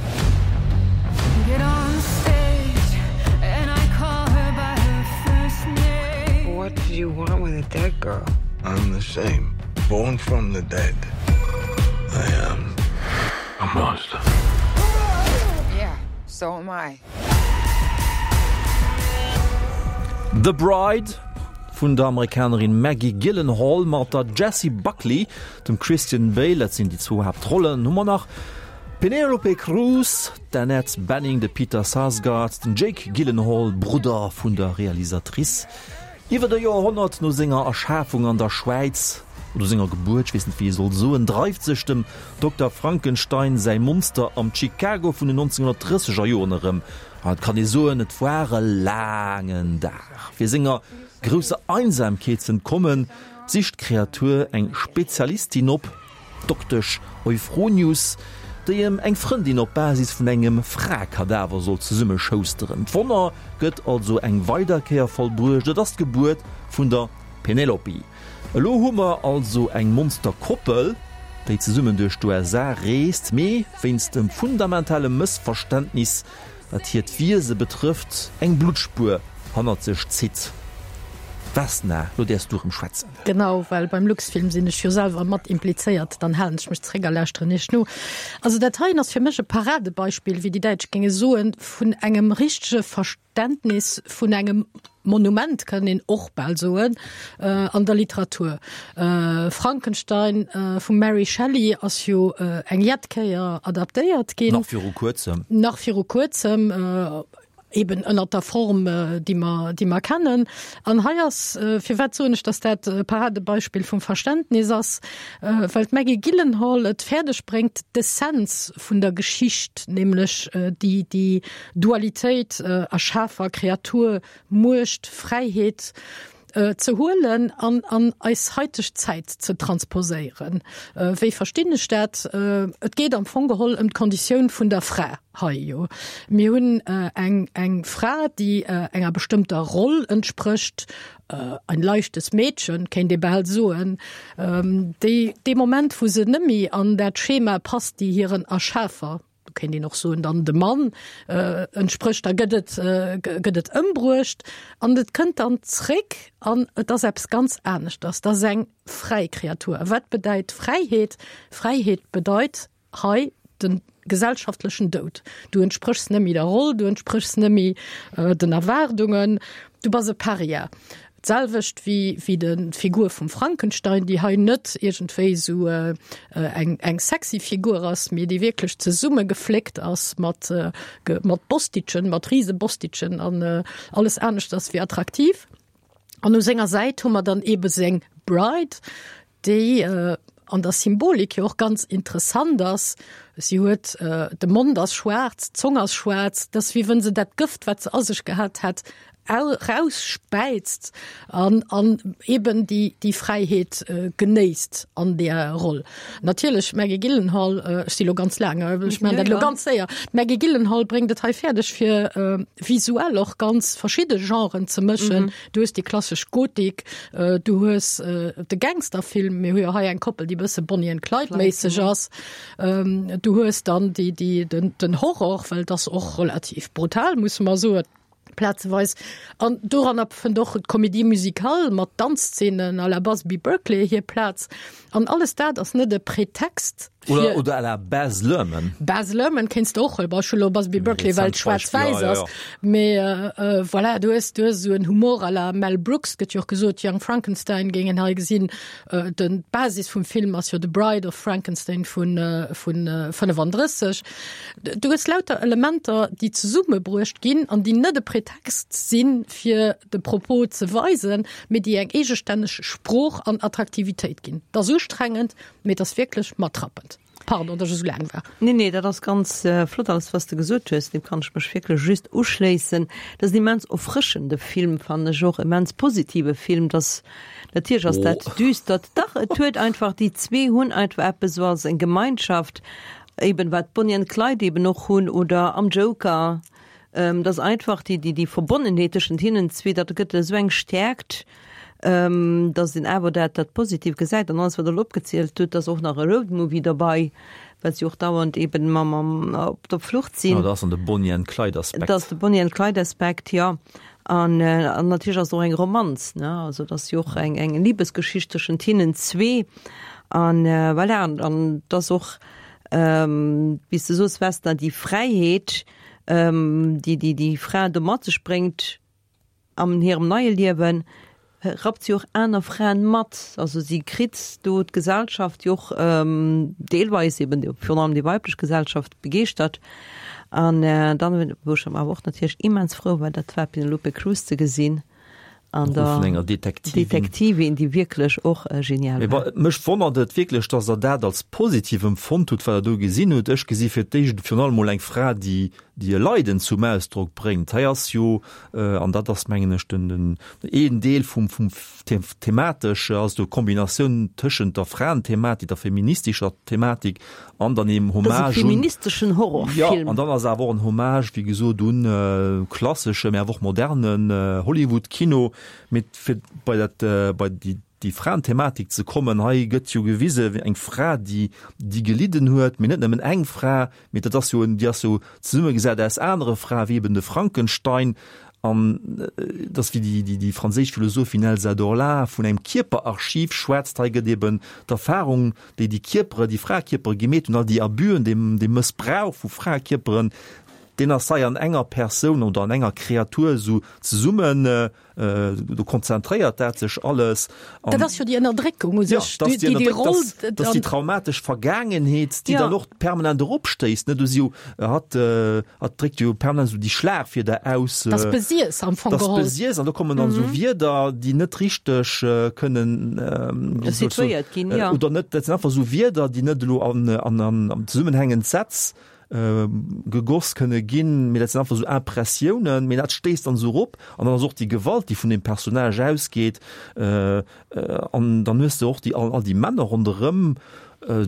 Get on stage and I call her by her first name. What did you want with a dead girl? I'm the same. Born from the dead. I am a monster. Yeah, so am I. The Bride vun der Amerikanerin Maggie Gyllenhaal mat der Jessie Buckley, dem Christian Bale, dat sinn déi zwou Haaptrollen. Hu mer nach d'Penélope Cruz, d'Annette Bening, de Peter Sarsgaard, den Jake Gyllenhaal, Brudder vun der Realisatrice. Iwwert e Joerhonnert no senger Erschafung an der Schwäiz, oder senger Gebuert, ech weess net wéi ee soll soen, dreift sech dem Dokter Frankenstein säi Monster am Chicago vun den 1930 er Joren erëm. An et kann ee soen, et war e laangen Dag. Fir senger grousser Einsamkeet z'entkommen, sicht d'Kreatur eng Spezialistin op, d'Doktesch Euphronius, déi em eng Frëndin op Basis vun engem Fraekadaver soll zesummeschousteren. D'Wonner gëtt also eng weider Kéier vollbruecht, et ass d'Gebuert vun der Penelope. Elo hu mer also eng Monsterkoppel, déi zesummen duerch d'USA reest, mee wéinst dem fundamentale Mëssverständnis wat hiert Wiese betrëfft, eng Bluttspuer hannert sech zitt. Vesna, lo däerfs du erëm schwätzen. Genau, well beim Luxfilm sinn ech jo selwer mat implizéiert, dann halen ech mech zréck a lauschteren iech no. Also dat heien ass fir mech e Paradebeispill, wéi déi Däitsch géinge soen, vun engem richtege Verständnis vun engem Monument, kënnt een och bal soen, an der Literatur. Frankenstein vum Mary Shelley ass jo eng jett Kéier adaptéiert ginn. Nach viru kuerzem. Nach viru kuerzem, eben ënnert der Form, déi mer, déi mer kennen. An hei ass, firwat soen ech, datt dat e Paradebeispill vum Verständnis ass, well d'Maggie Gyllenhaal et fäerdeg bréngt, d'Essenz vun der Geschicht, nämlech déi, déi Dualitéit Erschafer, Kreatur, Muecht, Fräiheet ze huelen an an eis haiteg Zäit ze transposéieren. Wéi verstinn ech dat? Et geet am Fong geholl ëm d'Konditioun vun der Fra hei jo. Mir hunn eng eng Fra, déi enger bestëmmter Roll entsprécht, ein leichtes Mädchen kéint ee bal soen, déi dee Moment wou se nëmmi an dat Schema passt, déi hiren Erschafer, do kéint een och soen dann de Mann entsprécht, da gëtt et gëtt et ëmbruecht an et kënnt dann zréck an et ass eppes ganz aneschters, dat ass eng fräi Kreatur. A wat bedeit Fräiheet? Fräiheet bedeit hei de gesellschaftlechen Doud. Du entspréchs net méi der Roll, du entspréchs net méi den Erwaardungen, du bass e Paria. D'selwecht wéi wéi de Figur vum Frankenstein, déi hei net iergendwéi esou eng eng sexy Figur ass, mee déi wierklech zesummegefléckt ass mat mat Bostitchen, mat rise Bostitchen an alles aneschters wéi attraktiv. An u senger Säit hu mer dann eebe seng Bride, déi an der Symbolik jo och ganz interessant ass. Si huet, de Mond ass schwaarz, d'Zong ass schwaarz, et ass wéi wënn se dat Gëft, wat se a sech gehat hätt, rausspäizt an an eben déi déi Fräiheet genéisst an där Roll. Natierlech d'Maggie Gyllenhaal, ech si lo ganz laang, ech maachen dat elo ganz séier, d'Maggie Gyllenhaal bréngt et hei fäerdeg fir visuell och ganz verschidde Genren ze mëschen. Du hues déi klassesch Gotik, du hues de Gangsterfilm, mir hu jo hei eng Koppel, déi e bësse Bonnie and Clyde-méisseg ass, du hues dann déi déi den den Horror, well et ass och relativ brutal, musse mer soen. Plazeweis. An doranner fënnt och d'Comédie musicale mat Danzzeenen à la Busby Berkeley hir Plaz. An alles dat ass net e Pretext fir. Oder, oder à la Baz Luhrmann. Baz Luhrmann kéints de och huelen. Bon, ech hu lo Busby Berkeley, well et schwaarz-wäiss ass. Mee voilà, du hues, du hues esou en Humor à la Mel Brooks. Gëtt jo och gesot, Young Frankenstein géing een hei gesinn. Den, d'Basis vum Film ass jo The Bride of Frankenstein vun, vun 35. Du hues lauter Elementer, déi zesummebruecht ginn an déi net e Pretext. Pretext sinn, fir de Propos ze weisen, mee déi eng eegestänneg Sprooch an Attraktivitéit ginn. Et ass ustrengend, mee et ass wierklech matrappend. Pardon, datt ech esou laang war. Nee, nee, dat ass ganz flott alles, wat s de gesot hues. Deem kann ech mech wierklech just uschléissen. Dat ass en immens erfrëschende Film, fannen ech och, immens positive Film. Dass, natierlech ass dat düstert. Dach, et huet einfach, déi zwee hunn einfach eppes esou als eng Gemeinschaft, eben wat Bonnie and Clyde eben och hunn oder am Joker. Dass einfach déi, déi, déi Verbonnenheet tëschent hinnen zwee, dat gëtt esou eng Stäerkt. Dass een awer dat dat positiv gesäit an alles wat Der elo opgezielt hutt, dass och nach e Roadmovie derbei, well se jo och dauernd eben mam mam op der Flucht sinn. Jo, dat ass dann de Bonnie and Clyde Aspekt. Dat ass de Bonnie and Clyde Aspekt, jo. An an natierlech ass et och eng Romanz, ne, also et ass jo och eng eng Libesgeschicht tëschent hinnen zwee an voilà. An an et ass och, wéi s de soos Vesna, déi Fräiheet, déi déi déi Fra do mat sech bréngt, An hirem neie Liewe rappt si och aner Fraen mat. Also si kritt do d'Gesellschaft, déi och deelweis eben virun allem déi weiblech Gesellschaft begeeschtert. An dann, wou ech awer och natierlech immens frou war, dat war d'Penelope Cruz ze gesinn an der vun enger Detektivin, Detektivin, déi wierklech och genial war. Mech wonnert et wierklech, dass Der dat als positiv empfonnt hutt, wat Der do gesinn hutt. Ech gesi fir d'éischt virun allem mol eng Fra, déi déi e Leiden zum Ausdrock bréngt. Hei ass jo, an dat ass mengen ech den, den een Deel vum, vum thematesch ass do Kombinatioun tëschent der Fraenthematik, der feministescher Thematik an dann eem Hommage un. Dat ass e feministeschen Horrorfilm. Jo, an dann ass awer och en Hommage, wéi gesot, un klassesche, mä awer och modernen Hollywood-Kino. Mee fir bei dat, bei déi, déi Fraenthematik ze kommen, hei gëtt jo gewise wéi eng Fra, déi, déi gelidden huet, mee net nëmmen eng Fra, Mee dat ass jo, déi ass jo zesummegesat aus anere Frae wéi eben de Frankenstein an et ass wéi déi, déi franséisch Philosophin Elsa Dorlin vun engem Kierperarchiv schwätzt. Hei gëtt eben d'Erfahrung, déi déi Kierpere, déi Fraekierpere gemeet hunn, all déi Abüen, dee, dee Mëssbrauch vu Fraekierperen, deen ass hei an enger Persoun oder an enger Kreatur esou zesummen Do konzentréiert dat sech alles. Dat ass jo déi Ënnerdréckung u sech, déi déi Roll. Dat ass déi traumatesch Vergaangenheet, déi dann och permanent eropstéisst. Do si jo, hatt, hatt dréckt jo permanent esou déi Schlagwierder aus. Dat ass Besiess am Fong geholl. Dat ass Besiess an do kommen dann esou Wierder, déi net richteg kënnen situéiert ginn, jo. Oder net, dat sinn einfach esou Wierder, déi net elo an, an, an zesummenhängend Sätz gegoss kënne ginn, mee dat sinn einfach esou Impressiounen, mee dat stéisst dann esou erop an dann ass och déi Gewalt, déi vun deem Personnage ausgeet an dann hues de och déi all déi Männer ronderëm,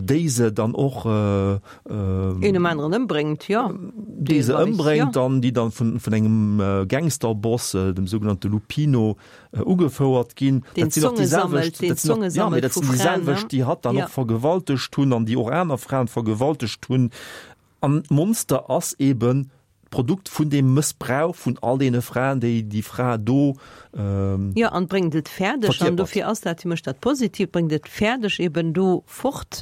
déi se dann och een nom aneren ëmbréngt, jo, déi se ëmbréngt an déi dann vun vun engem Gangsterboss, dem sougenannte Lupino, ugefouert ginn. Deen Zonge sammelt, deen Zonge sammelt vu Fraen, ne? Dat sinn och déi selwecht, déi hatt dann och vergewaltegt hunn an déi och aner Fraen vergewaltegt hunn. An d'Monster ass eben d'Produkt vun deem Mëssbrauch vun all deene Fraen, déi déi Fra do verkierpert. Jo, an bréngt et fäerdeg, an dofir ass dat fir mech dat Positiivt, bréngt et fäerdeg eben do fort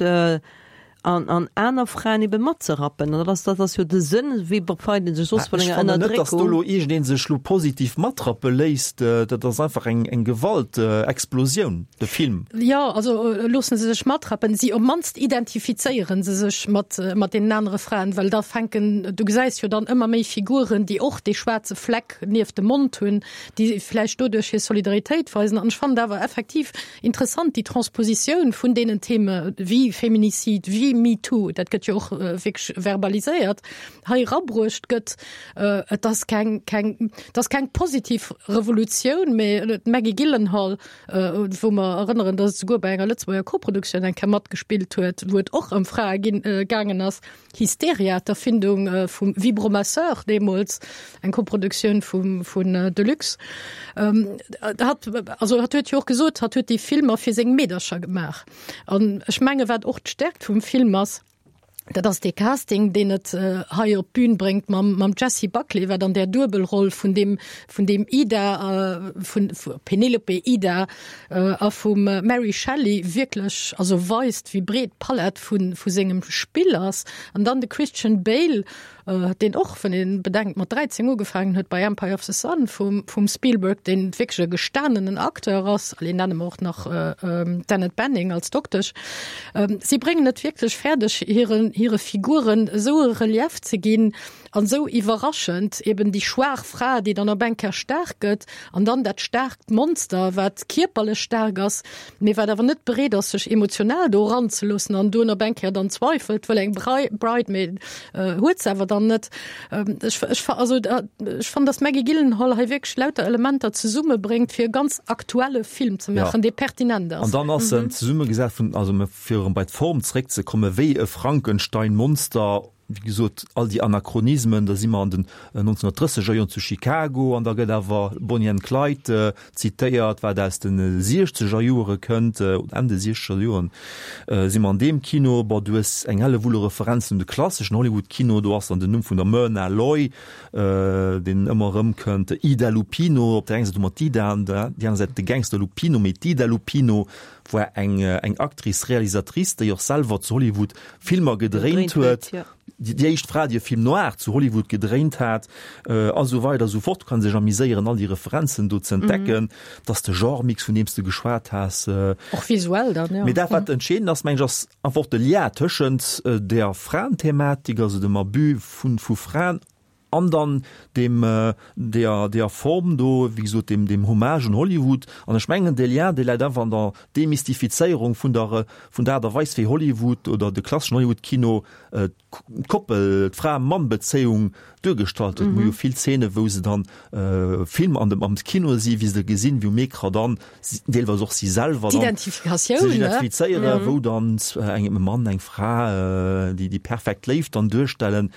An an aner Fraen ebe matzerappen. An dat ass, dat ass jo de Sënn, wéi befreit een sech soss vun enger Ënnerdréckung? Ech fannen net, datt do elo iergendee sech elo positiv matrappe léisst. Dat ass einfach eng, eng Gewaltexplosioun, de Film. Jo, also loosse se sech matrappen. Si, op d'mannst identifizéiere se sech mat, mat deenen anere Fraen, well da fänken, du gesäis jo dann ëmmer méi Figuren, déi och dee schwaarze Fleck nieft dem Mond hunn, déi vläicht doduerch hir Solidaritéit weisen. An ech fannen et awer effektiv Interessant déi Transpositioun vun deenen Theme wéi Feminicide, wéi MeToo, dat gëtt jo och wierklech verbaliséiert, hei erabruecht gëtt. Et ass keng, keng, et ass keng positiv Revolutioun, mä d'Maggie Gyllenhaal, wou mer erënneren, datt et souguer bei enger Lëtzebuerger Koproduktioun eng Kéier matgespillt huet, wou et och ëm Frae ginn, gaangen ass, Hysteria, d'Erfindung vum Vibromasseur deemools, eng Koproduktioun vum vun Deluxe. Hatt, also hatt huet jo och gesot, hatt huet déi Filmer fir seng Meedercher gemaach. An ech menge wat och d'Stärkt vum Film ass, dat ass dee Casting, deen et hei op d'Bün bréngt mam mam Jessie Buckley, wat an där Duebelroll vun deem vun deem Ida, vun Penelope Ida a vum Mary Shelley wierklech also weist, wéi breet d'Palett vu vu sengem Spill ass. An dann de Christian Bale. deen och, wann ee bedenkt, mat 13 ugefaangen huet bei Empire of the Sun vum, vum Spielberg, deen wierklech e gestanenen Acteur ass, allez, nenne mer och nach d'Annette Bening als Doktesch. Si bréngen et wierklech fäerdeg, hiren, hire Figuren esou e Relief ze ginn an esou iwwerraschend, eben déi schwaach Fra, déi dann op eng Kéier staark gëtt, an dann dat staarkt Monster, wat kierperlech staark ass, mee wat awer net bereet ass, sech emotional do eranzeloossen an duerno op eng Kéier dann zweifelt, wëll eng Bride, mee huet se awer dann net. Ech, ech, also ech fannen, dass d'Maggie Gyllenhaal hei wierklech lauter Elementer zesummebréngt, fir e ganz aktuelle Film ze maachen, dee pertinent ass. An dann ass en zesummegesat vun, also fir erëm bei d'Form zeréckzekommen, wéi e Frankenstein-Monster, Wéi gesot, all déi Anachronismen, da si mer an den 1930er Joren zu Chicago an da gëtt awer Bonnie and Clyde zitéiert, wat aus de siechzeger Joere kënnt, oder Enn de siechzeger Joren si mer an deem Kino. Bon, du hues eng Hellewull u Referenzen un de klasseschen Hollywood-Kino, do ass dann den Numm vun der Myrna Loy, deen ëmmer erëmkënnt, Ida Lupino, op der enger Säit hu mer d'Ida an der déi aner Säit de Gangster Lupino, mee d'Ida Lupino war eng eng Actrice, Réalisatrice, déi och selwer zu Hollywood Filmer gedréint huet, déi éischt Fra, déi e Film noir zu Hollywood gedréint hat, a sou weider a sou fort. Kann sech amiséieren, all déi Referenzen do ze entdecken. Dass de Genre-Mix, vun deem s de geschwat has. Och visuell dann, jo. Mee dat, wat entscheedend ass, meng ech, ass einfach och de Lien tëschent der Fraenthematik, also dem Abus vu Fraen, An dann deem, deeër, deeër Form do, wéi gesot, deem, deem Hommage un Hollywood. An ech mengen, dee Lien, dee läit einfach an der Demystifizéierung vun der, vun der Aart a Weis, wéi Hollywood oder de klasseschen Hollywood-Kino d'Koppel, d'Fra-Mann-Bezéiung duergestallt huet. Mir hu jo vill Zeene wou se dann Film an dem, am Kino si, wéi se gesinn, wéi um Ecran dann deelweis och si selwer dann D'Identifikatioun, sech identifizéieren, wou dann eng, e Mann, eng Fra déi, déi perfekt Léift dann duerstellen.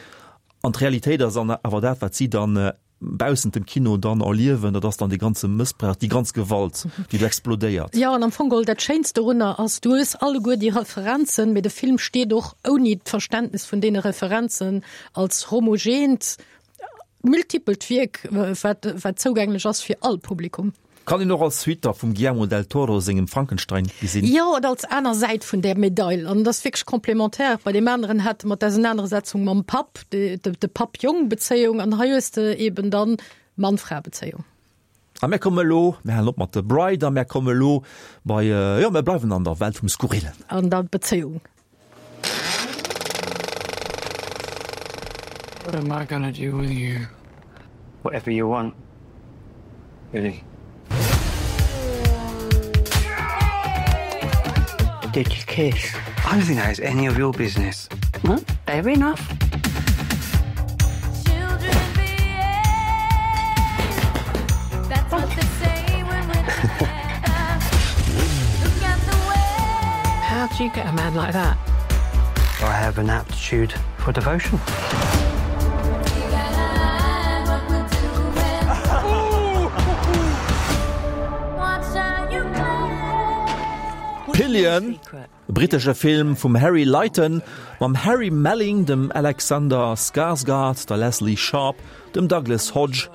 An d'Realitéit ass an awer dat, wat si dann baussent dem Kino dann erliewen, dat ass dann dee ganze Mëssbrauch, déi ganz Gewalt, déi do explodéiert. Jo, an am Fong geholl dat Schéinst dorunner ass, du hues alleguer déi Referenzen, mee de Film steet och ouni d'Verständnis vun deene Referenzen als homogeent, multipelt Wierk, wat, wat zougänglech ass fir all Publikum. Kann een och als Suite da vum Guillermo del Toro sengem Frankenstein gesinn. Jo, oder als aner Säit vun där Medail. An et ass wierklech complémentaire. Bei deem aneren hate mer d'Ausenanersetzung mam Papp, de, de Papp-Jong-Bezéiung, an hei hues de eben dann Mann-Fra-Bezéiung. A mär komme elo, mär halen op mat The Bride a mär komme elo bei, jo, mär bleiwen an der Welt vum Skurrillen. An der Bezéiung. What am I gonna do with you? Whatever you want. Really. Did you kiss? I don't think that is any of your business. Well, fair enough. How do you get a man like that? I have an aptitude for devotion. Pillion. E brittesche Film vum Harry Lighton mam Harry Melling, dem Alexander Skarsgård, der Lesley Sharp, dem Douglas Hodge.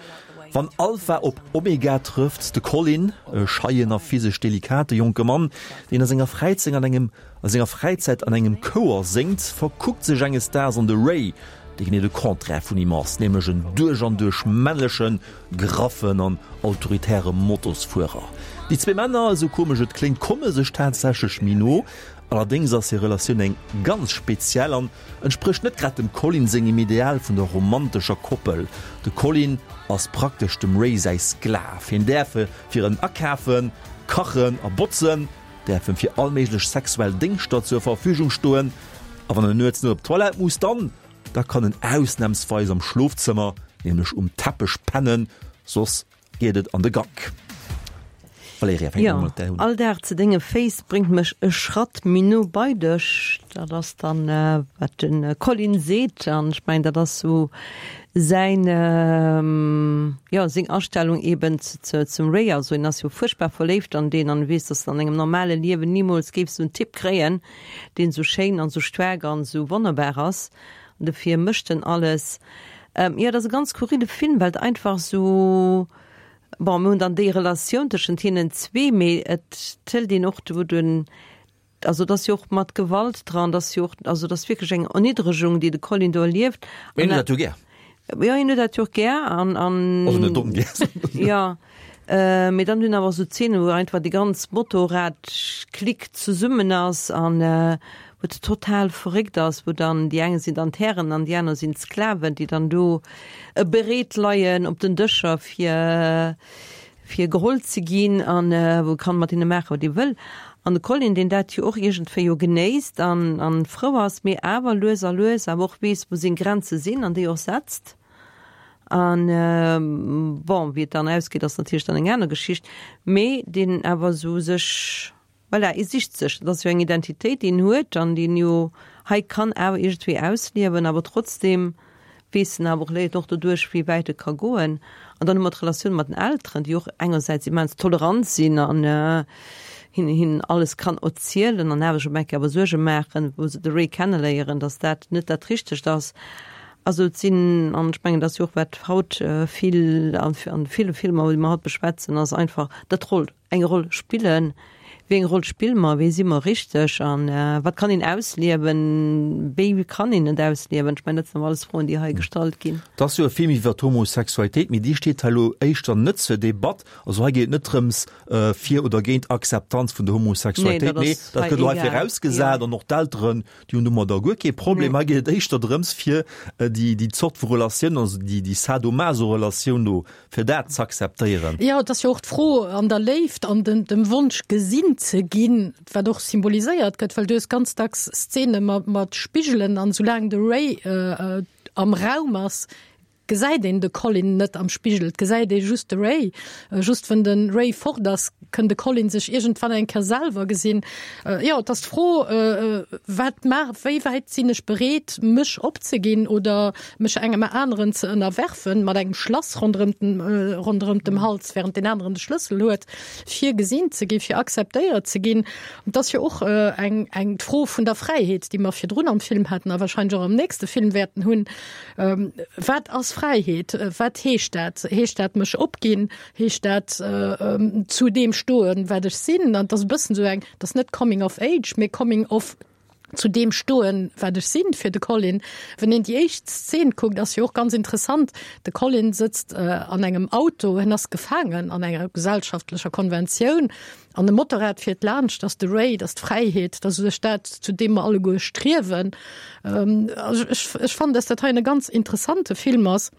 Wann Alpha op Omega trëfft, de Colin, e scheien a physesch delikate jonke Mann, deen a senger Fräizeng an engem a senger Fräizäit an engem Chouer séngt, verkuckt sech enges Daags an de Ray, dee genee de Contraire vun him ass, nämlech en duerch an duerch männlechen, graffen an autoritäre Motosfuerer. Déi zwee Männer, esou komesch et kléngt, komme sech tatsächlech méi no. Allerdéngs ass hir Relatioun eng ganz speziell an entsprécht net grad dem Colin sengem Ideal vun der romantescher Koppel. De Colin ass praktesch dem Ray säi Sklav. Hien däerf fir en akafen, kachen a botzen, däerf em fir all méiglech sexuell Déngschter zur Verfügung stoen a wann en nuets net op d'Toilette muss, dann Da kann en ausnamsweis am Schlofzëmmer, nämlech um Teppech pennen, soss geet et an de Gank. Valerija, fänk Jo, mol mat där un. all Dag zu denge Féiss bréngt mech e Schratt méi no bei dech. Dat ass dann, wat de Colin seet. An ech mengen, dat ass sou säin, jo, seng Astellung eben zum Ray. Also en ass jo fuerchtbar verléift an deen an e weess, dass en an engem normale Liewen nimools géif sou en Typ kréien. deen sou schéin an sou staark an sou wonnerbar ass, an dofir mécht en alles. Jo, et ass e ganz skurrile Film, well et einfach sou, bon, mir hunn dann déi Relatioun tëschent hinnen zwee, mee et hëlt een och do den. Also et ass jo och mat Gewalt dran, et ass jo och, also et ass wierklech eng Erniddregung, déi de Colin do erlieft. Mee hien huet dat jo gär. Jo, hien huet dat jo och gär an, an. Also net ongär. Jo, mee dann hunn awer esou Zeenen, wou einfach déi ganz Motorrad-Clique zesummen ass an wou et total verréckt ass, wou dann déi eng sinn dann d'Hären an déi aner sinn d'Sklaven, déi dann do bereet leien op den Dëscher fir fir geholl ze ginn an wou e kann mat hinne maachen, wat ee wëll. An de Colin, deen dat jo och iergendwéi jo genéisst an an frou ass, mee awer lues a lues awer och weess, wou seng Grenze sinn an déi och setzt. An bon, wéi et dann ausgeet, ass natierlech dann eng aner Geschicht, mee deen awer esou sech Voilà, ee sicht sech, dat ass jo eng Identitéit, déi en huet an déi en jo hei kann awer iergendwéi ausliewen, awer trotzdeem weess en awer och, léiert och doduerch, wéi wäit e ka goen. An dann hu mer d'Relatioun mat den Elteren, déi och engersäits immens tolerant sinn an hinnen hinnen alles kann erzielen an awer sech op eng Kéier awer Suerge maachen, wou se de Ray kenneléieren, datt dat net dat Richtegt ass. Also et sinn, an ech mengen, dat ass jo och wat haut vill an ville Filmer, déi mer haut beschwätzen, ass einfach dat d'Roll eng Roll spillen, wéi eng Roll spille mer, wéi si mer richteg an wat kann een ausliewen, wéi kann een et ausliewen? Ech mengen, dat sinn awer alles Froen, déi hei gestallt ginn. Et ass jo e Film iwwer d'Homosexualitéit, mee déi steet hei elo éischter net zur Debatt. Also hei geet et net drëms, fir oder géint Akzeptanz vun der Homosexualitéit, nee, dat gëtt elo hei virausgesat an och d'Elteren, déi hunn domadder guer kee Problem. Hei geet et éischter drëms, fir déi Zort vu Relatioun, also déi Sadomaso-Relatioun do fir dat z'akzeptéieren. Jo, et ass jo och d'Fro an der Léift an dem Wonsch gesinn ze ginn, wat och symboliséiert gëtt, well du hues ganz dacks Szene mat Spigelen an soulaang de Ray am Raum ass, gesäit een de Colin net am Spigel, et gesäit ee just de Ray. Just wann de Ray fort ass, kënn de Colin sech iergendwann eng Kéier selwer gesinn. Jo, et ass d'Fro, wat maach, wéi wäit sinn ech bereet, mech opzeginn oder mech engem aneren ze ënnerwerfen, mat engem Schlass ronderëm den, ronderëm dem Hals, während deen aneren de Schlëssel huet, fir gesinn ze ginn, fir akzeptéiert ze ginn. Et ass jo och eng, eng d'Fro vun der Fräiheet, déi mer virdrun am Film haten a wahrscheinlech och am nächste Film wäerten hunn. Wat ass Fräiheet? Wat heescht dat? Heescht dat mech opginn? Heescht dat zu deem stoen, wat ech sinn? An et ass e bëssen esou eng, et ass net Coming of Age, mee Coming of zu deem stoen, wat ech sinn, fir de Colin. Wann een déi éischt Szen kuckt, ass jo och ganz interessant, de Colin sëtzt an engem Auto, en ass gefaangen an enger gesellschaftlecher Konventioun an e Motorrad fiert laanscht, ass de Ray, dat ass d'Fräiheet, dat ass u sech dat, zu deem mer alleguer striewen. Also ech, ech fannen, dass dat hei e ganz interessante Film ass.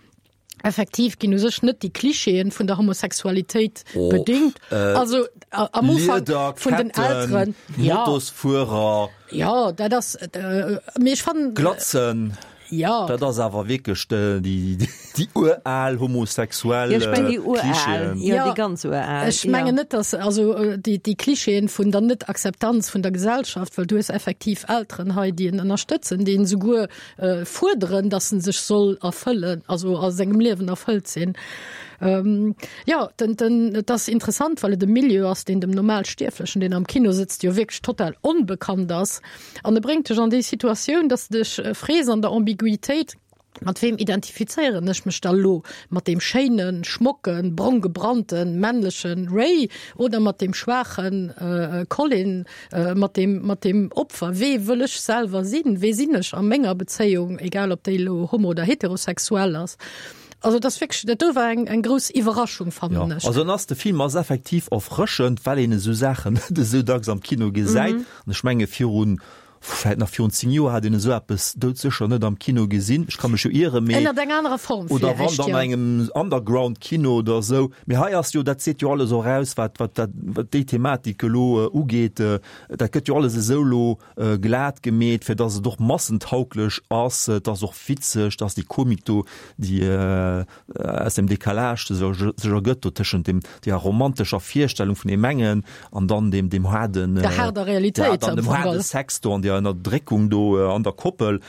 Effektiv ginn u sech net déi Klischeeën vun der Homosexualitéit oh, bedingt. Äh, also am Ufank vun den Elteren. Ja. Motosfuerer. Ja, dat ass äh, mee ech fannen. Glatzen. Ja. Dat ass awer wierklech déi, déi, déi ural homosexuell ja, ich mein, déi ural. Ja, ja, déi ganz ural. Ech mengen ja. net, dass also äh, déi, déi Klischeeën vun der Net-Akzeptanz vun der Gesellschaft, well du hues effektiv Elteren hei, déi en ënnerstëtzen, déi en souguer fuerderen, dass en sech soll erfëllen, also a sengem Liewen erfëllt sinn. Ähm, ja, den, den, et ass interessant, well et e Milieu ass, deen dem Normalstierflechen, deen am Kino sëtzt, jo wierklech total onbekannt ass. An e bréngt dech an déi Situatioun, dass de dech frees an der Ambiguitéit, Mat weem identifizéieren ech mech da lo? Mat deem schéinen, schmocken, brong gebrannten, männlechen Ray oder mat deem schwaachen Colin? Mat deem, mat deem Opfer, wee wëll ech selwer sinn, wee sinn ech a menger Bezéiung, egal ob déi elo homo oder heterosexuell ass. Also dat ass wierklech, dat do war eng, eng grouss Iwwerraschung, fannen ech. Also en ass, de Film ass effektiv erfrëschend, well een esou Saachen net esou dacks am Kino gesäit. An ech menge virun, vläit nach virun 10 Joer hat een esou eppes doudsécher net am Kino gesinn. Ech ka mech jo ieren, mee. Ënnert enger anerer Form Oder wann dann an engem Underground-Kino oder esou. Mee hei ass jo, dat seet jo alles och aus, wat, wat dat, wat déi Thematik elo ugeet. Dat gëtt jo alles esou elo glat gemeet, fir datt et och massentauglech ass. Et ass och witzeg, datt déi Komik do, déi aus dem Décalage sech ergëtt do tëschent dem deer romantescher Virstellung vun deem engen an dann deem deem haarden Der haarder Realitéit ja, dann dem haarde Sex do an deer. hirer Ënnerdréckung do an der Koppel,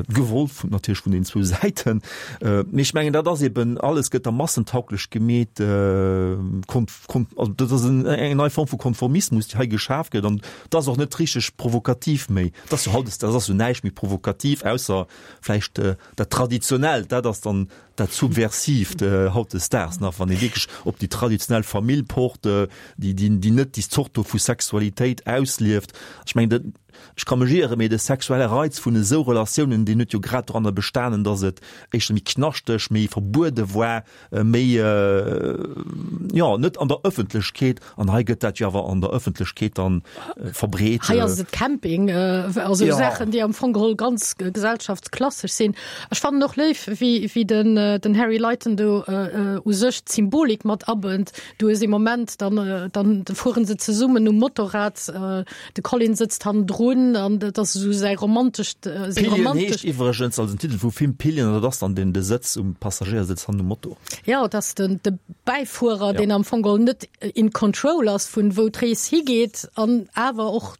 gewollt vun, natierlech vun den zwou Säiten. Mee ech mengen, dat ass eben, alles gëtt da massentauglech gemeet, kon, kon, also dat ass en, eng nei Form vu Konformismus, déi hei geschaf gëtt an dat ass och net richteg provokativ méi. Dat ass jo haut, dat ass jo näischt méi provokativ, ausser vläicht dat Traditionellt, dat ass dann dat Subversiivt hautdesdaags nach, wann ee wierklech op déi traditionell Famill pocht, déi, déi, déi net déi Zort do vu Sexualitéit auslieft. Ech mengen, dat, ech ka mech ieren, mee de sexuelle Reiz vun esou Relatiounen, deen huet jo grad doranner bestanen, datt et éischter méi knaschteg, méi verbuede war, méi, jo, net an der Ëffentlechkeet. An hei gëtt dat jo awer an der Ëffentlechkeet dann verbreet. Hei ass et Camping, also Saachen, déi am Fong geholl ganz gesellschaftsklassesch sinn. Ech fannen och léif, wéi, wéi den, den Harry Lighton do u sech d'Symbolik mat abënnt. Du hues ee Moment, dann, dann fueren se zesummen um Motorrad, De Colin sëtzt hannendrun an dat ass esou säi romantescht, seng Pillion romantesch. heescht iwwregens, also den Titel vum Film Pillion, an dat ass dann den de Sëtz um Passagéiersëtz hannen um Moto. Jo, et ass den de Bäifuerer, Ja. deen am Fong geholl net in control ass vun wou d'Rees higeet an awer och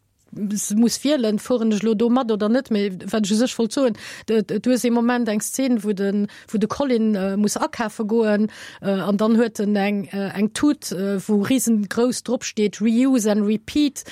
muss wielen, fueren ech elo do mat oder net. Mee wat ech u sech wollt soen, du hues ee Moment eng Szen, wou de wou de Colin muss akafe goen an dann huet en eng eng Tut, wou risengrouss drop steet Reuse and Repeat.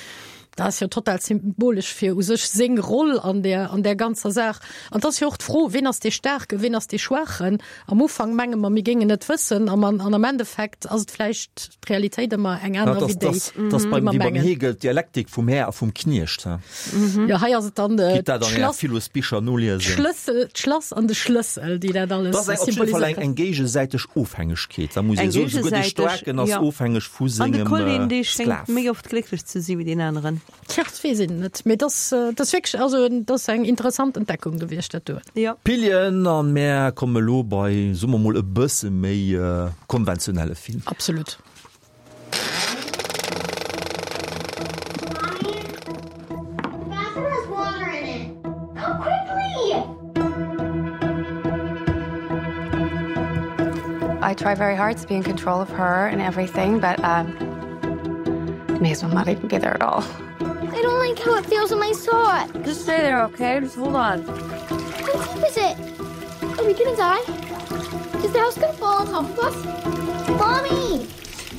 Dat ass jo total symbolesch fir u sech seng Roll an där an där ganzer Saach. An et ass jo och d'Fro, ween ass dee Staarken, ween ass dee Schwaachen? Am Ufank menge mer, mir géingen et wëssen, an an am Endeffekt ass et vläicht d'Realitéit ëmmer eng aner wéi déi, Dat ass déi beim, mer wéi beim mengen. Hegel, d'Dialektik vum Här a vum Kniecht. Jo, hei ass et dann Gitt dat an Ärer d'Schlass, Philosbicher noliesen. d'Schlëssel, d'Schlass an de Schlëssel, déi dat alles Dat ass eng, op jidde Fall eng, symboliséieren. eng géigesäiteg Ofhängegkeet, da muss ee Eng soen. Souguer dee géigesäiteg, Staarken ass jo. ofhängeg vu An de sengem Colin, dee schéngt Sklav. méi oft glécklech ze si wéi deen aneren. Tja, dat weess een net, mee dat ass wierklech, also dat ass eng interessant Entdeckung gewiescht, dat do. Jo. Pillen, an mär komme lo bei, soe mer mol, e bësse méi konventionelle Film. Absolut. I try very hard to be in control of her and everything, but um, may as well not even be there at all. I don't like how it feels on my sock. Just stay there, okay? Just hold on. How deep is it? Are we gonna die? Is the house gonna fall on top of us? Mommy!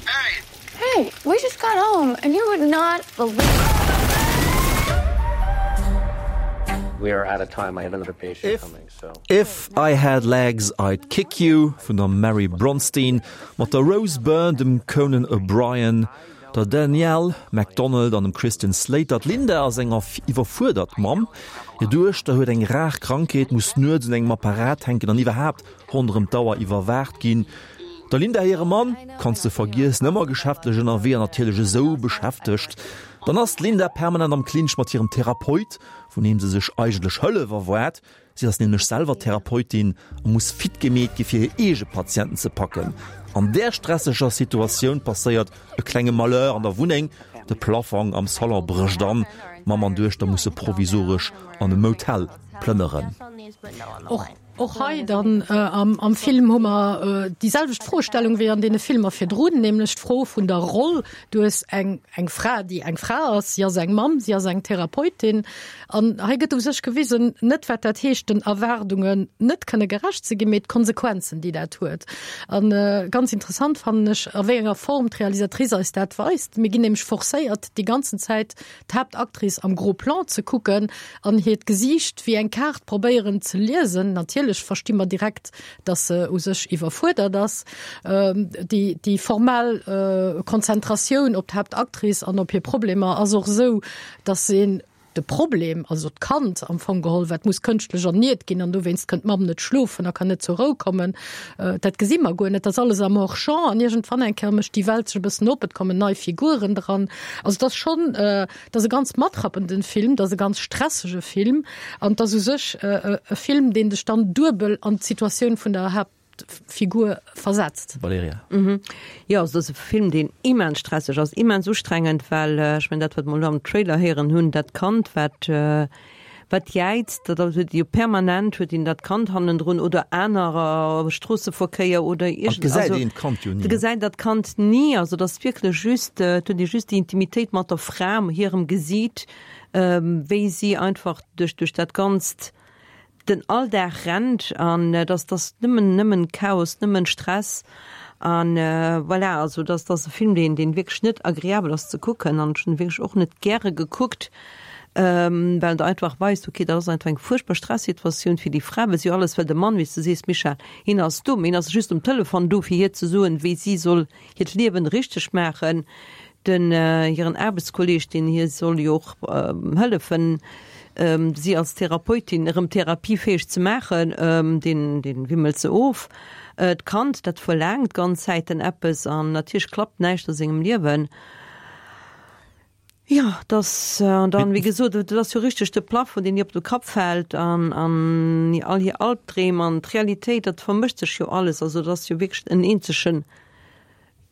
Hey! Hey, we just got home and you would not believe We are out of time. I have another patient coming, so. If I Had Legs I'd Kick You vun der Mary Bronstein mat der Rose Byrne, dem Conan O'Brien, der Danielle Macdonald an dem Christian Slater. D'Linda ass eng iwwerfuerdert Mamm. Hir Duechter huet eng rar Krankheet, muss nuets un engem Apparat hänken an iwwerhaapt ronderëm d'Auer iwwerwaacht ginn. Der Linda hire Mann kanns de vergiessen, ëmmer geschäftlech ënnerwee an natierlech esou beschäftegt. Dann ass d'Linda permanent am Clinch mat hirem Therapeut, vun deem se sech eigentlech Hëllef erwaart. Si ass nämlech selwer Therapeutin a muss fit gemeet gi fir hir eege Patienten ze packen. An där stresseger Situatioun passéiert e klenge Malheur an der Wunneng, De Plafong am Salon brécht an, Mamm an Duechter musse provisoresch an e Motel plënneren. Och hei dann am Film hu mer déi selwecht Froestellung wéi an deene Filmer virdrun, nämlech d'Fro vun der Roll. Du hues eng eng Fra, déi eng Fra ass, si ass eng Mamm, si ass eng Therapeutin. An hei gëtt u sech gewisen, net wat dat heescht, den Erwaardungen net kënne gerecht ze ginn, mee d'Konsequenzen, déi dat huet. A ganz interessant fannen ech, a wéi enger Form d'Realisatrice eis dat weist. Mir ginn nämlech forcéiert, déi ganzen Zäit d'Haaptactrice am Gros Plan ze kucken an hiert Gesiicht wéi eng Kaart probéieren ze liesen. Natierlech versti mer direkt, dass se u sech iwwerfuerdert ass. Déi, déi formell Konzentratioun op d'Haaptactrice an op hir Problemer ass och esou, dass een de Problem, also d'Kand am Fong geholl, wat muss kënschtlech erniert ginn an dowéinst kënnt d'Mamm net schlofen a kann net zur Rou kommen, dat gesi mer guer net. Dat ass alles am Hors-champ an iergendwann eng Kéier mécht déi Welt sech e bëssen op, et kommen nei Figuren dran. Also et ass schonn, et ass e ganz matrappenden Film, et ass e ganz stressege Film an et ass u sech e Film, deen dech dann duebel an d'Situatioun vun der Haaptfigur versetzt. Valerija. Jo, also et ass e Film, deen immens stresseg ass, immens ustrengend, well ech mengen dat, wat mer elo am Trailer héieren hunn, dat Kand, wat. Wat jäizt, dat ass, huet jo permanent huet een dat Kand hannendrun oder anerer, Stroosseverkéier oder An et gesäit een d'Kand jo ni. Et gesäit dat Kand ni, also et ass wierklech just, et huet ee just déi Intimitéit mat der Fra, hirem Gesiit, wéi si einfach duerch duerch dat Ganzt den Alldag rennt an et ass, et ass nëmmen nëmmen Chaos, nëmmen Stress an voilà, also et ass, et ass e Film, deen deen wierklech net agreabel ass ze kucken an ech hunn e wierklech och net gäre gekuckt, well en der einfach weist, okay, dat ass einfach eng fuerchtbar Stressituatioun fir déi Fra, well si jo alles, well de Mann, wéi s de sees, Michèle, hien ass do, mee hien ass just um Telefon do, fir hir ze soen, wéi si soll hiert Liewen richteg maachen. Den hiren Aarbechtskolleeg, deen hir soll jo och hëllefen, si als Therapeutin erëm therapiefäeg ze maachen, deen deen wimmelt se of. D'Kand, dat verlaangt d'ganz Zäiten eppes an natierlech klappt näischt a sengem Liewen. Jo, dass, an dann, wéi gesot, et ass jo richteg de Plafond, deen hir op de Kapp fält an an all hir Albdreem an d'Realitéit, dat vermëscht sech jo alles. Also et ass jo wierklech en eenzege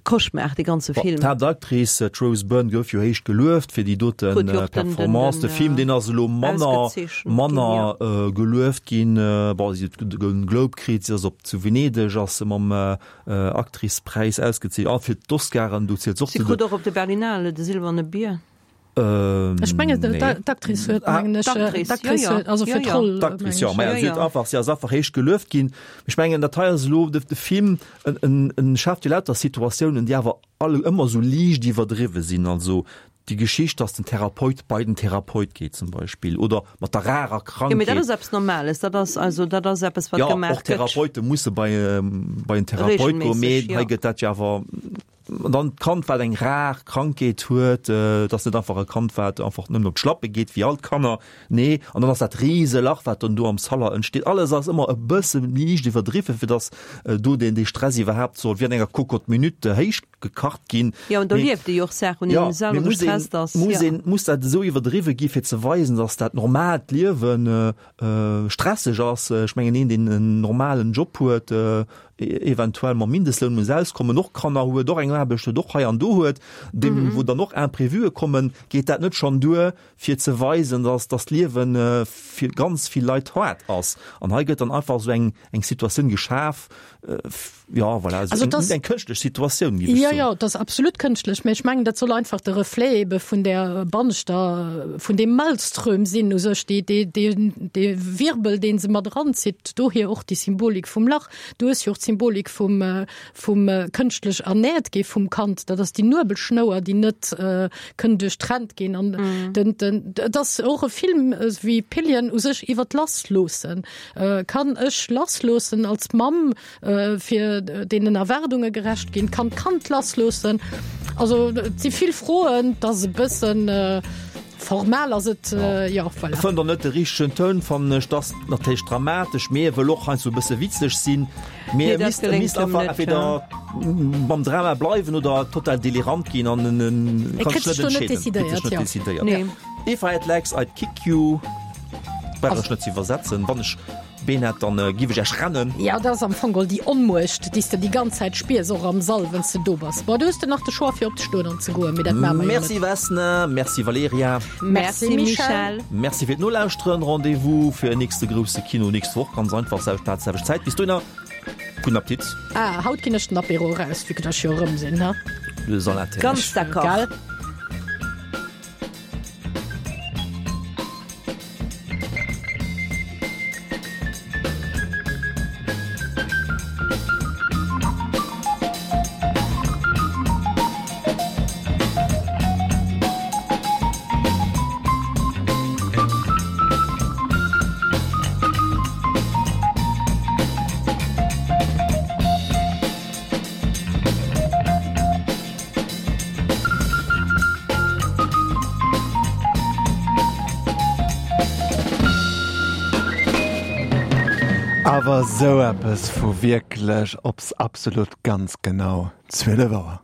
Cauchemar, dee ganze Film. D'Haaptactrice, d'Rose Byrne, gouf jo héich gelueft fir déi dote Performance. De Film, deen ass elo manner, manner gelueft ginn. Bon, si huet de Golden Globe kritt, si ass op zu Venedeg ass se mam Actrice-Präis ausgezeechent, a fir d'Oscaren, do zielt se och zu de. Si krut och op de Berlinale de Silberne Bier. Ech mengen, d'Actrice huet, mengen ech, d'Actrice huet, also fir d'Roll. D'Actrice, jo, mä si huet einfach, si ass einfach héich gelueft ginn. Ech mengen, dat hei ass elo de Film, en, en schaaft jo lauter Situatiounen, déi awer alle ëmmer esou liicht iwwerdriwwe sinn. Also déi Geschicht, dass den Therapeut bei den Therapeut geet zum Beispill oder mat der rarer Krankheet. Jo, mee dat ass eppes Normales, dat ass also dat ass eppes, wat gemaach gëtt. Jo, och Therapeute musse bei bei en Therapeut goen, mee hei gëtt dat jo awer an dann d'Kand, wat eng rar Krankheet huet, et ass net einfach e Kand, wat einfach nëmmen op d'Schlappe geet wéi all d'Kanner, nee, an dann ass dat Riselach, wat dann do am Saller entsteet, alles ass ëmmer e bësse liicht iwwerdriwwen, fir dass do deen dee Stress iwwerhaapt soll wéi an enger Cocotte-minute héich gekacht ginn. Jo, an do lieft ee jo och Saachen, un deenen ee selwer gestresst ass. Muss een, muss dat esou iwwerdriwwe gi fir ze weisen, datt dat normaalt Liewen stresseg ass? Ech mengen, een, deen en normalen Job huet, eventuell mam Mindestloun muss auskommen, och Kanner huet, och eng Aarbecht huet, och hei an do huet, deem wou dann och Imprévuë kommen, geet dat net schonn duer, fir ze weisen, datt datt d'Liewe fir ganz vill Leit haart ass? An hei gëtt dann einfach esou eng eng Situatioun geschaf, Ja, voilà, also also das, eng kënschtlech Situatioun gi ja, ja, das absolut kënschtlech, mä ech mengen, dat soll einfach de Reflet ebe vun der banneschter vun dem Maelström sinn u sech, dee, dee, dee, dee Wirbel, dee se mat eranzitt, dohier och déi Symbolik vum Lach. Du hues jo och d'Symbolik vum, vum kënschtlech ernährt gi vum Kand, dat ass déi Nuebelschnouer, déi net kënn duerchtrennt ginn an mm. den, den, et ass och e Film wéi Pillion u sech iwwer d'Lassloossen. Kann ech lassloossen als Mamm fir deenen Erwaardunge gerecht ginn? Kann d'Kand lassloossen? Also et si vill Froen, et ass e bëssen formal ass et, jo voilà. E fënnt och net de richtegen Toun, fannen ech. Et ass natierlech dramatesch, mee e wëll och heiansdo e bësse witzeg sinn. Mee e misst, e misst einfach entweder mam Drama bleiwen oder total delirant ginn an en kann sech net entscheeden. Kritt sech net decidéiert. If I had legs, I'd kick you. Brauch ech net ze iwwersetzen. Wann ech Been hätt, dann giff ech Iech rennen. Jo, dat ass am Fong geholl déi Onmuecht, déi s de déi ganz Zäit spiers, och am Sall, wann s de do bass. Bon, du hues de nach de Choix fir opzestoen an ze goen, mee dat maache mer jo net. Merci Vesna, merci Valerija. Merci Michèle. Merci fir d'Nolauschteren. Rendez-vous fir en nächste grousse Kino nächst Woch, ganz einfach, selwecht Plaz, selwecht Zäit. Bis dohinner, gudden Appetit. Ah, haut ginn ech den Apéro eraus, vue que ech jo erëm sinn, ha? Du hues all Intérêt. Ganz d'accord. Gell? Awer esou eppes vu wierklech ops absolut ganz genau 12 Auer.